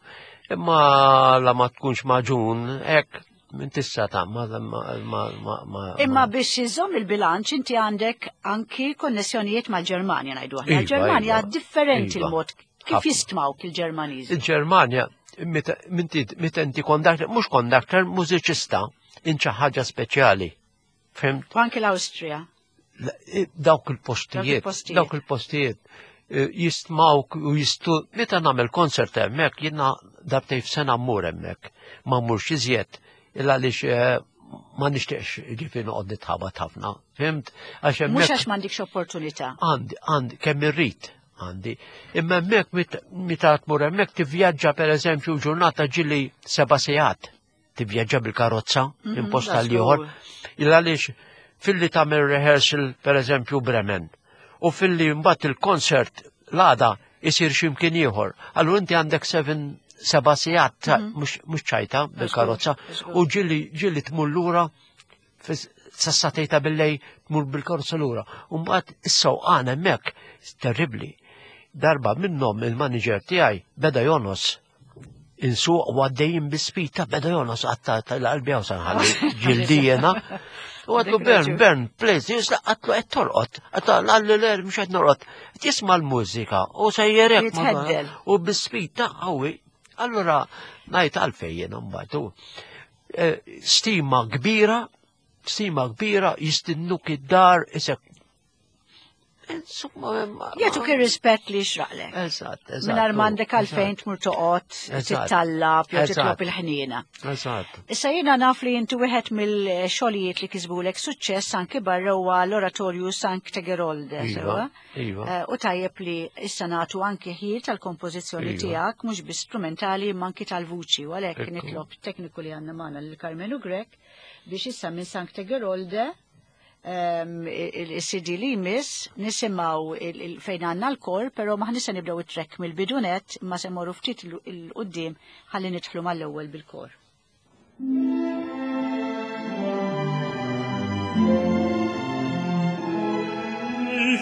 Imma la ma tkunx maġun, ek, Minn tista ta' ma ma ma ma Imma biex iżomm il-bilanċ inti għandek anki konnessjonijiet mal-Ġermanja ngħidu aħna. Iva, Il-Ġermanja iva. differenti Iva. l-mod kif Ħafna. jistmawk il-Ġermaniżi. Il-Ġermanja, meta minti meta inti conductor, mhux conductor, mużiċista, inċa ħaġa speċjali. Fhimt? U anki l-Awstrija. La- Dawk il-postijiet, il-postijiet. dawk il-postijiet eh, jistmawk u jistu, meta nagħmel konsert hemmhekk, jiena darbtejn f'sena mmur hemmhekk, ma mmurx iżjed, illa għaliex eh, ma nixtieqx ġifieri noqgħod nitħabat ħafna, fhimt? Għax Mhux hemmhekk għax m'għandikx opportunità. għandi, għandi, kemm irrid għandi. Imma hemmhekk mit- meta tmur hemmhekk tivvjaġġa pereżempju ġurnata ġili seba' sigħat. Tivvjaġġa bil-karozza minn post da għal ieħor. żgur. Illa għaliex filli tagħmel rehearsal pereżempju Bremen u filli mbagħad il-konsert l-għada isir x'imkien ieħor. Allura inti għandek seven seba' sigħat ta' mhux mhux ċajta bil-karozza żgur. u ġili ġili tmur lura sas-sagħtejn ta' billejl tmur bil-karozza lura. U mbagħad is-sewqan hemmhekk terribbli. Darba minnhom il-manager tiegħi beda jonos. Insuq u għaddejjin bi-speed beda jonos għatta tal-qalbi għaw sanħalli ġildi jena. U għedtlu Dik Bern, raġun. Bern, please, jisla għedtlu qed torqod. Għedtlu għalli l mhux qed norqod. Tisma' l-mużika u sejjerek. Jitħeddel. U bi-speed ta' qawwi. Allura ngħid għalfejn jiena mbagħad. u, eh, Stima kbira, stima kbira, jistennuk id-dar, isek. Insomma, ma- Jagħtuk ir-rispett li xraqlek. Eżatt, eżatt. Mingħajr m'għandek għalfejn tmur toqgħod Eżatt. tittallab jew Eżatt. titlob il-ħniena. Eżatt. Issa jiena naf li inti wieħed mill-xogħlijiet li kisbulek suċċess anki barra huwa l-oratorju Sancte Gerolde, Iva, sewwa? iva. Eh, U tajjeb li issa nagħtu anki ħin tal-kompożizzjoni Iva. tiegħek mhux bi strumentali imma anki tal-vuċi u għalhekk Ekku. nitlob tekniku li għandna magħna lil Karmenu Grech biex issa minn Sancte Gerolde um, il-C D li jmiss nisimgħu il- il- fejn għandna l-kor, però maħni se nibdew it-track mill-bidunet imma se morru ftit 'il 'il quddiem ħalli nidħlu mal-ewwel bil-kor. Ich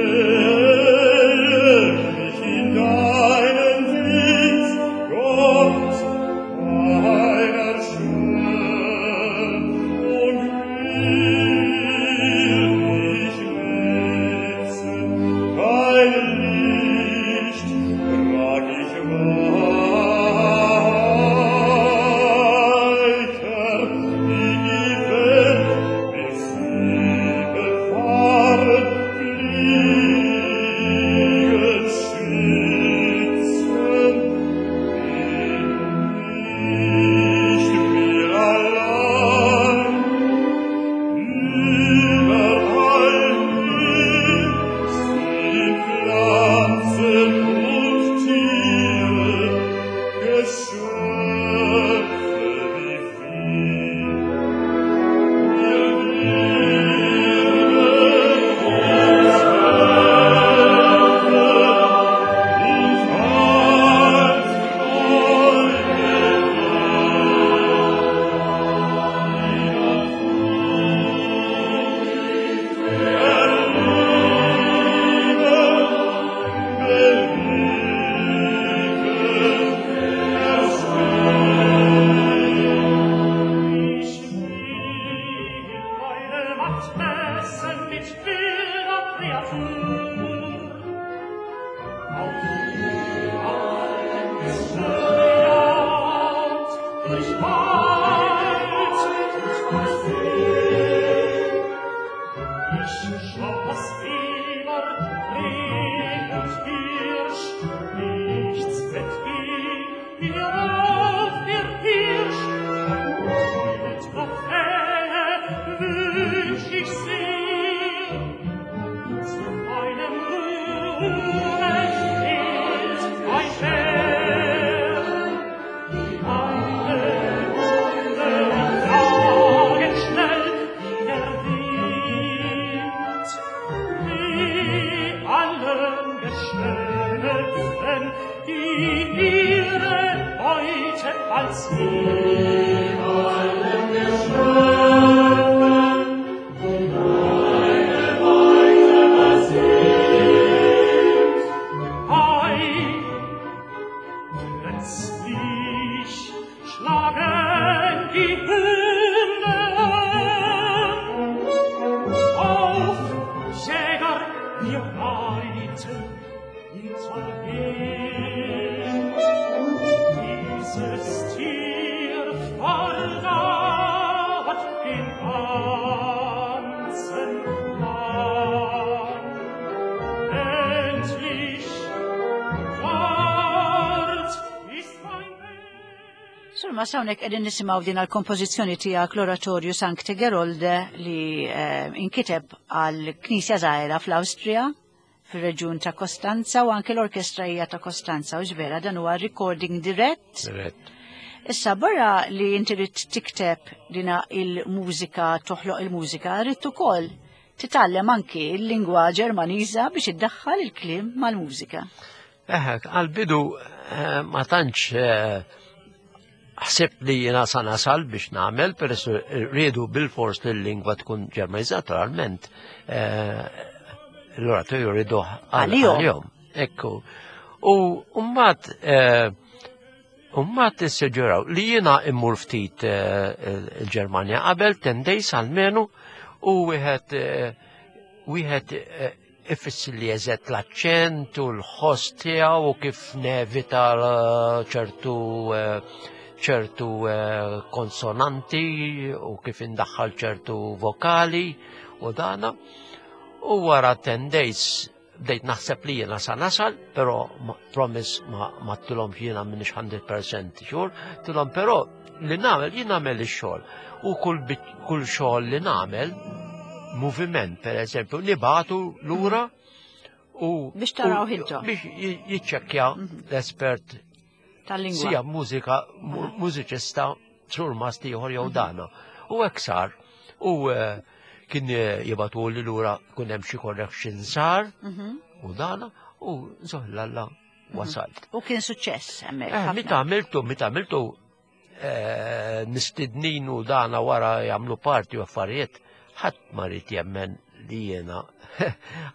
stelle mich in deinen Dienst, Gott, meiner Schöpfung will ich nützen, dein Licht trag ich weiter, die die Welt bis sie befahren, Flügel schützen. Bin nicht mir allein, überall hin sind Pflanzen und Tiere, Geschöpfe wie viel. Wir werden uns helfen und als Freude Ich will meine Macht messen mit wilder Kreatur. Auf allen gejagt, durch Wald und See. Ich schoss Eber, Reh und Hirsch, nichts entging mir auf der Pirsch. Die Trophäe wünsch ich sehr. Zu meinem Ruhme fehlt ein Bär. Die eine Hunde jagen schnell wie der Wind. Weh allen Geschöpfen, die ihre Beute bald sehen. Allen Geschöpfen, die meine Beute bald sind. Ei, plötzlich schlagen die Surmast, hawnhekk qegħdin nisimgħu din għal-kompożizzjoni tiegħek, l-Oratorju Sancte Gerolde, li eh, inkiteb għal knisja żgħira fl-Awstrija, fir-reġjun ta' Kostanza, u anke l-orkestra hija ta' Kostanza, u vera dan huwa recording dirett. Dirett. Issa, barra li inti rrid tikteb dina il-mużika, toħloq il-mużika, rrid ukoll titgħallem anki il-lingwa Ġermaniża biex iddaħħal il-kliem mal-mużika. Eħe, għal-bidu eh, ma tantx eh, ħsib li jiena sa nasal biex nagħmel, peress riedu bil-fors li l-lingwa tkun Ġermaniża, naturalment. eh, L-oratorju rridu Għalihom. Ekku. U mbagħad mbagħad issuġġeraw li jiena immur ftit eh, il-Ġermanja qabel ten days almenu u wieħed eh, wieħed eh, ifissi li eżatt l-aċċent u l-ħoss tiegħu u kif nevita eh, ċertu eh, ċertu eh, konsonanti u kif indaħħal ċertu vokali u dana. U wara ten days bdejt naħseb li jiena sa nasal, pero ma- promise ma ma għedtilhom jiena m'iniex mija fil-mija sure, għedtilhom pero li nagħmel, jien nagħmel ix-xogħol. U kull bit- kull xogħol li nagħmel, moviment per eżempju, nibagħtu lura u Biex taraw u- intom. Biex ji- jiċċekkja l-espert tal-lingwa. sija mużika, mu- mużiċista, surmast ieħor jew dana. U hekk sar. U eh, kien eh, jibagħtu li lura kun hemm xi correction sar Mhm. u dana u zoħlalla wasalt. U kien suċċess hemmhekk. Eh, ħafna. Meta għamiltu, meta għamiltu eh, mistednin u dana wara jagħmlu parti u affarijiet, ħadd ma ried jemmen li jiena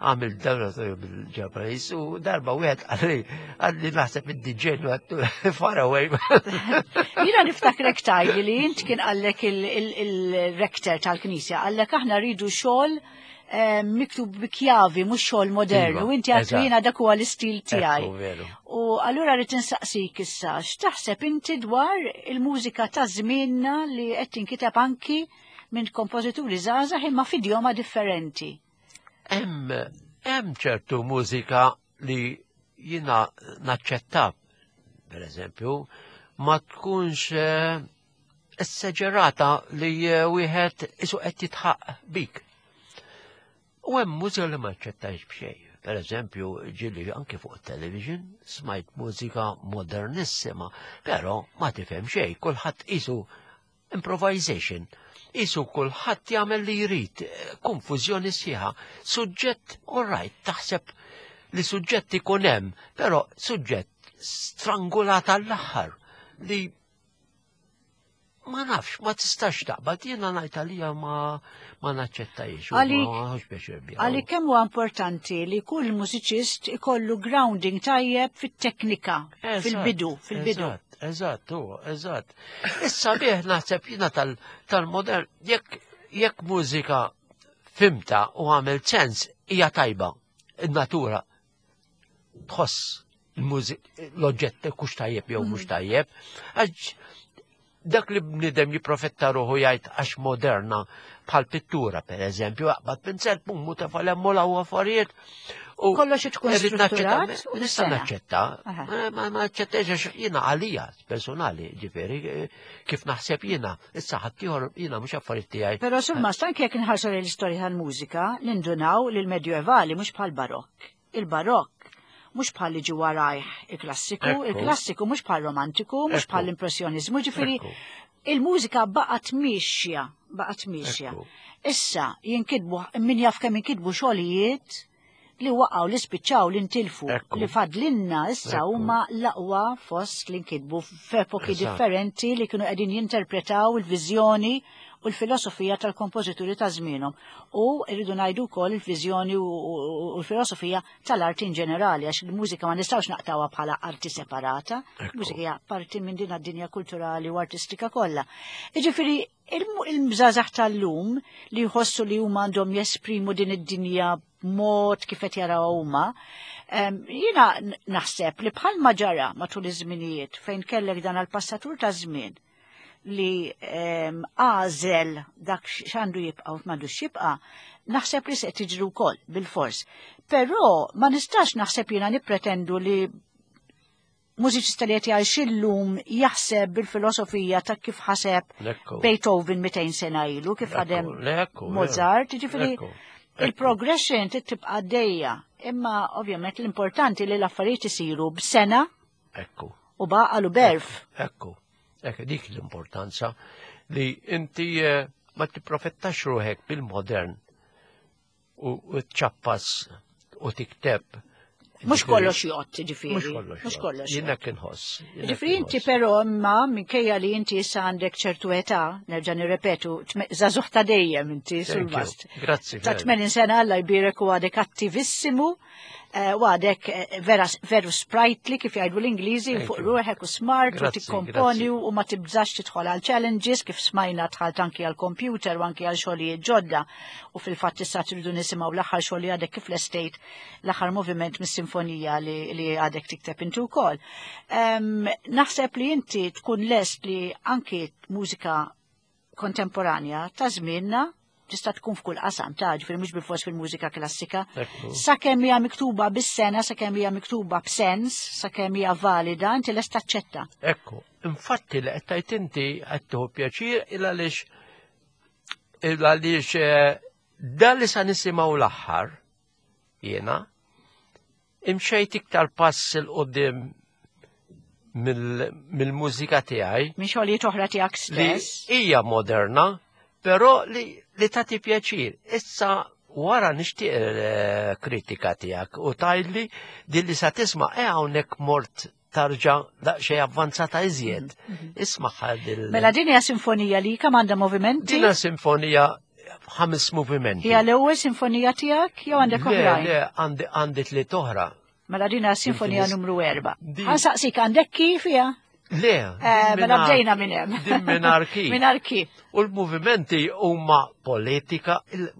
għamil dawra bil-Ġappaniż u darba wieħed qalli qalli naħseb id-D J u għedtu far away. Jiena niftakrek tgħidli li int kien qallek il-rektor tal-knisja, qallek aħna rridu xogħol eh, miktub bi kjavi, mhux xogħol modern, Iva, u inti għedtu eżatt. jiena dak huwa l-istil tiegħi. Ekku, veru. U allura rrid insaqsik issa, x'taħseb inti dwar il-mużika ta' żmienna li qed tinkiteb anki minn kompożituri żgħażagħ imma f'idjoma differenti? Hemm hemm ċertu mużika li jiena naċċetta, per eżempju, ma tkunx eh, esseġerata li eh, wieħed isu qed jitħaq bik. U hemm mużika li ma naċċettajx b'xejn. Per eżempju, ġieli anke fuq television smajt mużika modernissima, però ma tifhem xejn, kulħadd isu improvisation. Isu kulħadd jagħmel li jrid, eh, konfużjoni sħiħa. Suġġett, all right, taħseb li suġġett ikun hemm, però suġġett strangulat għall-aħħar li ma nafx, ma tistax taqbad, jiena ngħid għalija ma ma naċċettajx. U Għalik- ma nħossx pjaċir biha. Għalik kemm huwa importanti li kull mużiċist ikollu grounding tajjeb fit-teknika, Eżatt, fil-bidu, fil-bidu. Eżatt, eżatt, u, eżatt. Issa bih naħseb jiena tal- tal-modern, jekk jekk mużika fhimtha u għamel sens, hija tajba. In-natura tħoss il-mużik, l-oġġett kux tajjeb jew mhux tajjeb. Għax dak li bnidem jiprofetta ruħu jgħid għax moderna bħal pittura, per eżempju, aqbad pinsel, pum, u tefal hemm u affarijiet. U Kollox tkun irrid strutturat naċċetta- u Nista' sena. naċċetta, Aha. ma ma naċċettax għax jiena għalija personali, ġifieri, eh, kif naħseb jiena, issa ħaddieħor jiena mhux affarijiet tiegħi. Però surmast, anke jekk inħarsu lejn l-istorja tal-mużika, nindunaw li l-Medjuevali mhux bħal Barokk. Il-Barokk mhux bħal li ġi warajh il-klassiku, Ekku. il-klassiku mhux bħal romantiku, mhux Ekku. bħal l-impressjonizmu, ġifieri Ekku. il-mużika baqgħet mixja, baqgħet mixja. Ekku. Issa jinkitbu, min jaf kemm jinkitbu xogħlijiet li waqgħu, li spiċċaw, li ntilfu, Ekku. li fadlinna issa Ekku. huma l-aqwa fost li nkitbu f'epoki Eżatt. differenti li kienu qegħdin jinterpretaw il-viżjoni u l-filosofija tal-kompożituri ta' żmienhom. U rridu ngħidu wkoll il-viżjoni u u- u l-filosofija tal-arti in ġenerali, għax il-mużika ma nistgħux naqtawha bħala arti separata, Ekku. il-mużika hija parti minn din id-dinja kulturali u artistika kollha. Jiġifieri il-żgħażagħ tal-lum li jħossu li huma għandhom jesprimu din id-dinja b'mod kif qed jaraw huma, em, jiena n- naħseb li bħalma ġara matul iż-żminijiet fejn kellek dan għal-passatur ta' żmien li em, għażel dak x'għandu jibqa' u m'għandux jibqa', naħseb li se tiġri wkoll bil-fors. Però ma nistax naħseb jiena nippretendu li mużiċista li qed jgħix illum jaħseb bil-filosofija ta' kif ħaseb Ekku. Beethoven mitejn sena ilu, kif Ekku, ħadem le, ekku, Mozart, jiġifieri Ekku, ekku. il-progression trid tibqa' għaddejja. Imma ovvjament l-importanti li l-affarijiet isiru b'sena Ekku. u b'għaqal u b'għerf. Ekku, ekku, dik l-importanza li inti eh, ma tipprofettax ruħek bil-modern u u tċappas u tikteb. Mhux kollox jgħodd, ġifieri. Mhux kollox. Mhux kollox. Jiena kien ħoss. Jiena Ġifieri kien inti ħoss. però imma minkejja li inti issa għandek ċertu età, nerġa' nirrepetu, tme- żagħżugħ ta' dejjem inti Thank you. sul-vast. Grazzi. Ta' veru. tmenin sena Alla jbierek u għadek attivissimu, eh, u għadek eh, vera, veru sprightly kif jgħidu l-Ingliżi, Thank fuq you. ruħek u smart u Grazzi, tikkomponi grazzi. u ma tibżax tidħol għal challenges kif smajna dħalt anki għal computer u anki għal xogħlijiet ġodda u fil-fatt issa tridu nisimgħu l-aħħar xogħol li għadek kif lestejt l-aħħar moviment mis-sinfonija li, li għadek tikteb inti wkoll. Em, naħseb li inti tkun lest li anki mużika kontemporanja ta' żmienna tista' tkun f'kull qasam ta' ġifieri mhux bilfors fil-mużika klassika. Ekku. Sakemm hija miktuba bis-sena, sakemm hija miktuba b'sens, sakemm hija valida, inti lest taċċetta. Ekku, infatti li qed tgħid inti qed tieħu pjaċir il għaliex il għaliex eh, dan li sa nisimgħu l-aħħar jiena imxejt iktar pass 'il quddiem mill- mill-mużika tiegħi Minn xogħlijiet oħra tiegħek li stess. hija moderna, però li, li tagħti pjaċir. Issa wara nixtieq eh, kritika tiegħek u tgħidli din li sa tisma' e hawnhekk mort tarġa daqsxejn avvanzata iżjed. Isma' dil Mela din hija sinfonija li kemm għandha movimenti? Dina sinfonija ħames movimenti. Hija l-ewwel sinfonija tiegħek jew għandek Le, oħrajn? le, għandi għandi tliet oħra. Mela din hija sinfonija Din- numru erba'. din- Ħa nsaqsik għandek kif hija? Le, Eh, din Mela mingħajr- bdejna minn hemm. Din mingħajr kif. Mingħajr kif. U l-movimenti huma politika, il-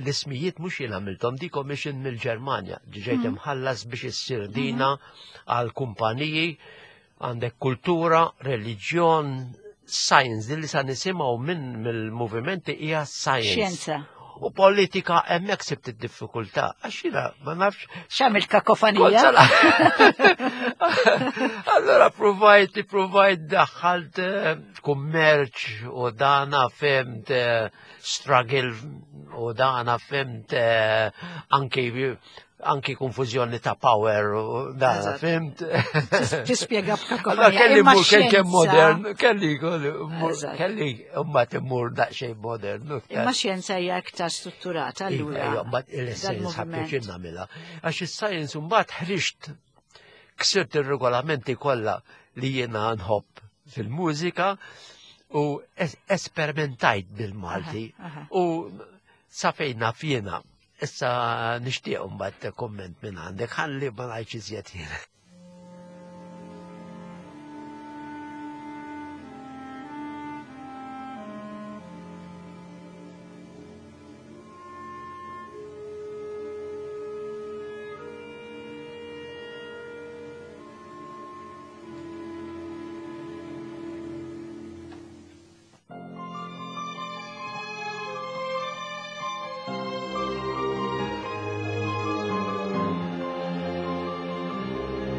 l-ismijiet mhux jien għamilthom di commission mill-Ġermanja, ġejt imħallas biex issir dina għal kumpaniji, għandek kultura, reliġjon, science, din li sa nisimgħu minn mill-movimenti hija science. Xjenza. U politika hemmhekk sibt id-diffikultà, għax jiena ma nafx X'għamilt kakofanija? Allora provajt, provajt daħħalt eh, kummerċ u dana fimt eh, struggle u dana fimt eh, anki anki konfużjoni ta' power u dana Eżatt. fimt. Tispjega Allora b'kakofanija. kelli Imma mur kelli kemm xjenza- modern, kelli Eżatt. kelli imma timmur daqsxejn modern. Imma xjenza hija iktar strutturata allura. Iva, mbagħad il-science dal-moviment. ħabba nagħmilha. Għax is-science mbagħad ħriġt ksirt ir-regolamenti kollha li jiena nħobb fil-mużika u es- esperimentajt bil-Malti Aha, aha. u sa fejn naf jiena. Issa nixtieq mbagħad komment minn għandek ħalli ma ngħidx iżjed jiena. Thank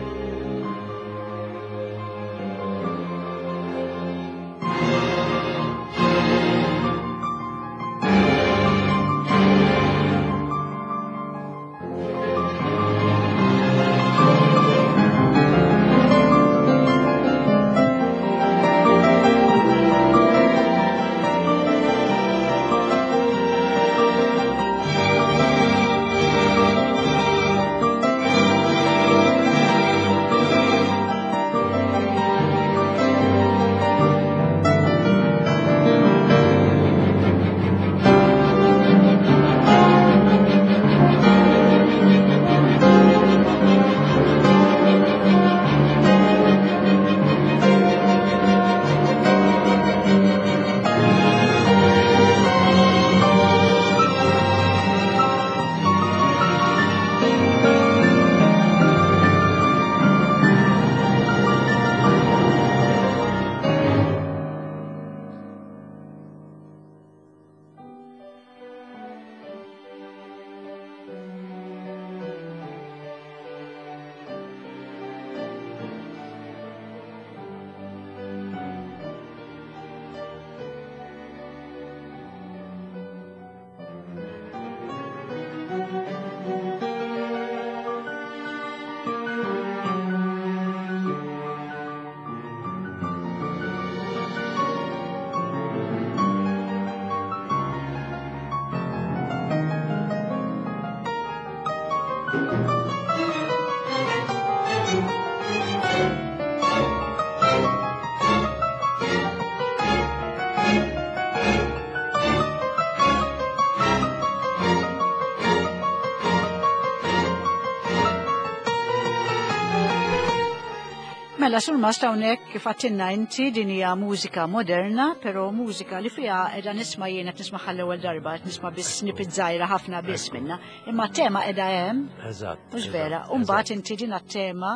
Mela, Surmast, hawnhekk kif għedtilna inti din hija mużika moderna, però mużika li fiha qiegħda nisma' jien qed nisma' l-ewwel darba, qed nisma' biss snippet żgħira ħafna biss minna. Imma tema qiegħda hemm, Eżatt. mhux vera. U mbagħad inti din tema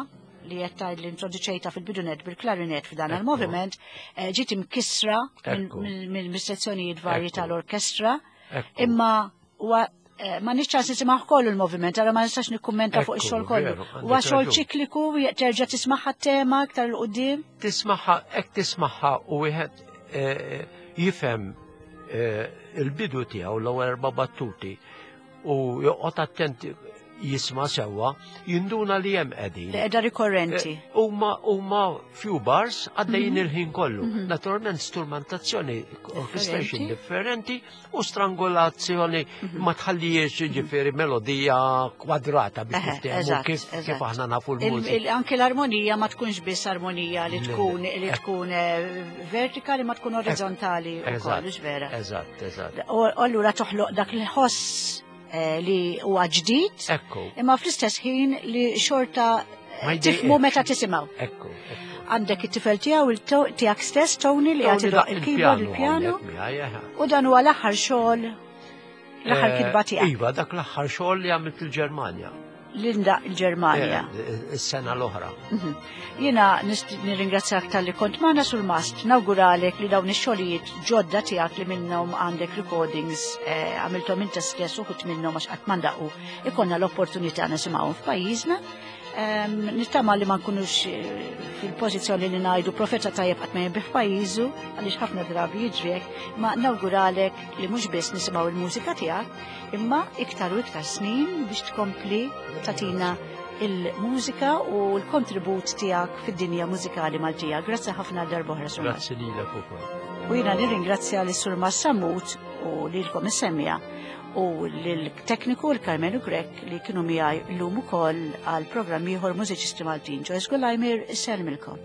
li qed tgħid li introduċejta fil-bidunet bil-klarinet f'dan il-moviment, eh, ġiet imkissra Ekku. mill-sezzjonijiet varji Ekku. tal-orkestra, Ekku. imma huwa eh, ma nix ċans nisimgħu kollu l-moviment, għara ma nistax nikkummenta fuq Ekku, ix-xogħol kollu. veru, għandek Huwa xogħol raġun. ċikliku, terġa' tismaħħa tema iktar 'l quddiem. Tismaħħa, hekk tismaħħa u wieħed eh, jifhem eh, il-bidu tiegħu, l-ewwel erba' battuti, u joqgħod attent jisma' sewwa, jinduna li hemm qegħdin. Li qiegħda rikorrenti. Eh, Huma huma few bars għaddejjin il-ħin kollu. Naturalment strumentazzjoni, orchestration differenti u strangolazzjoni ma tħallijiex, ġifieri, melodija kwadrata biex Eħe, niftehmu eżatt, kif kif eżatt. aħna nafu Il- l-mużika. il- Anke l-armonija ma tkunx biss armonija li Le, tkun le. li tkun eh, vertikali ma tkun orizzontali u Eżatt, kollox vera. Eżatt, eżatt. U allura toħloq dak il-ħoss eh, li huwa ġdid, Ekku, imma fl-istess ħin li xorta eh, Ma tifmu jdejqekx. meta tisimgħu. Ekku, ekku. Għandek it-tifel tiegħu il- tiegħek stess Tony li qed idoqq il-keyboard, il-pjano, hawnhekk miegħi, eħe. u dan huwa l-aħħar xogħol, l-aħħar Eh, kitba tiegħek Iva, dak l-aħħar xogħol li għamilt il-Ġermanja. Linda il-Ġermanja. Eh, Is-sena l-oħra. Mhm. Jiena nist- nirringrazzjak talli kont magħna, Surmast, nawguralek li dawn ix-xogħlijiet ġodda tiegħek li minnhom għandek recordings eh, għamilthom inta stess uħud minnhom għax qatt m'għandaqu ikollna l-opportunità nisimgħuhom f'pajjiżna. Em, Nittama li ma nkunux eh, fil-pożizzjoni li ngħidu profeta tajjeb qatt ma jinbiegħ f'pajjiżu, għaliex ħafna drabi jiġri hekk, ma nawguralek li mhux biss nisimgħu il-mużika tiegħek, imma iktar u iktar snin biex tkompli tagħtina il-mużika u l-kontribut tiegħek fid-dinja mużikali Maltija. Grazzi ħafna għal darb'oħra, Surmast. Grazzi lilek ukoll. U jiena nirringrazzja lis Surmast Sammut u lilkom is-semmiegħa u l-tekniku l-Carmenu Grek li kienu miegħi llum ukoll għal programm ieħor Mużiċisti Maltin. Joyce Gulajmir, sellmilkom.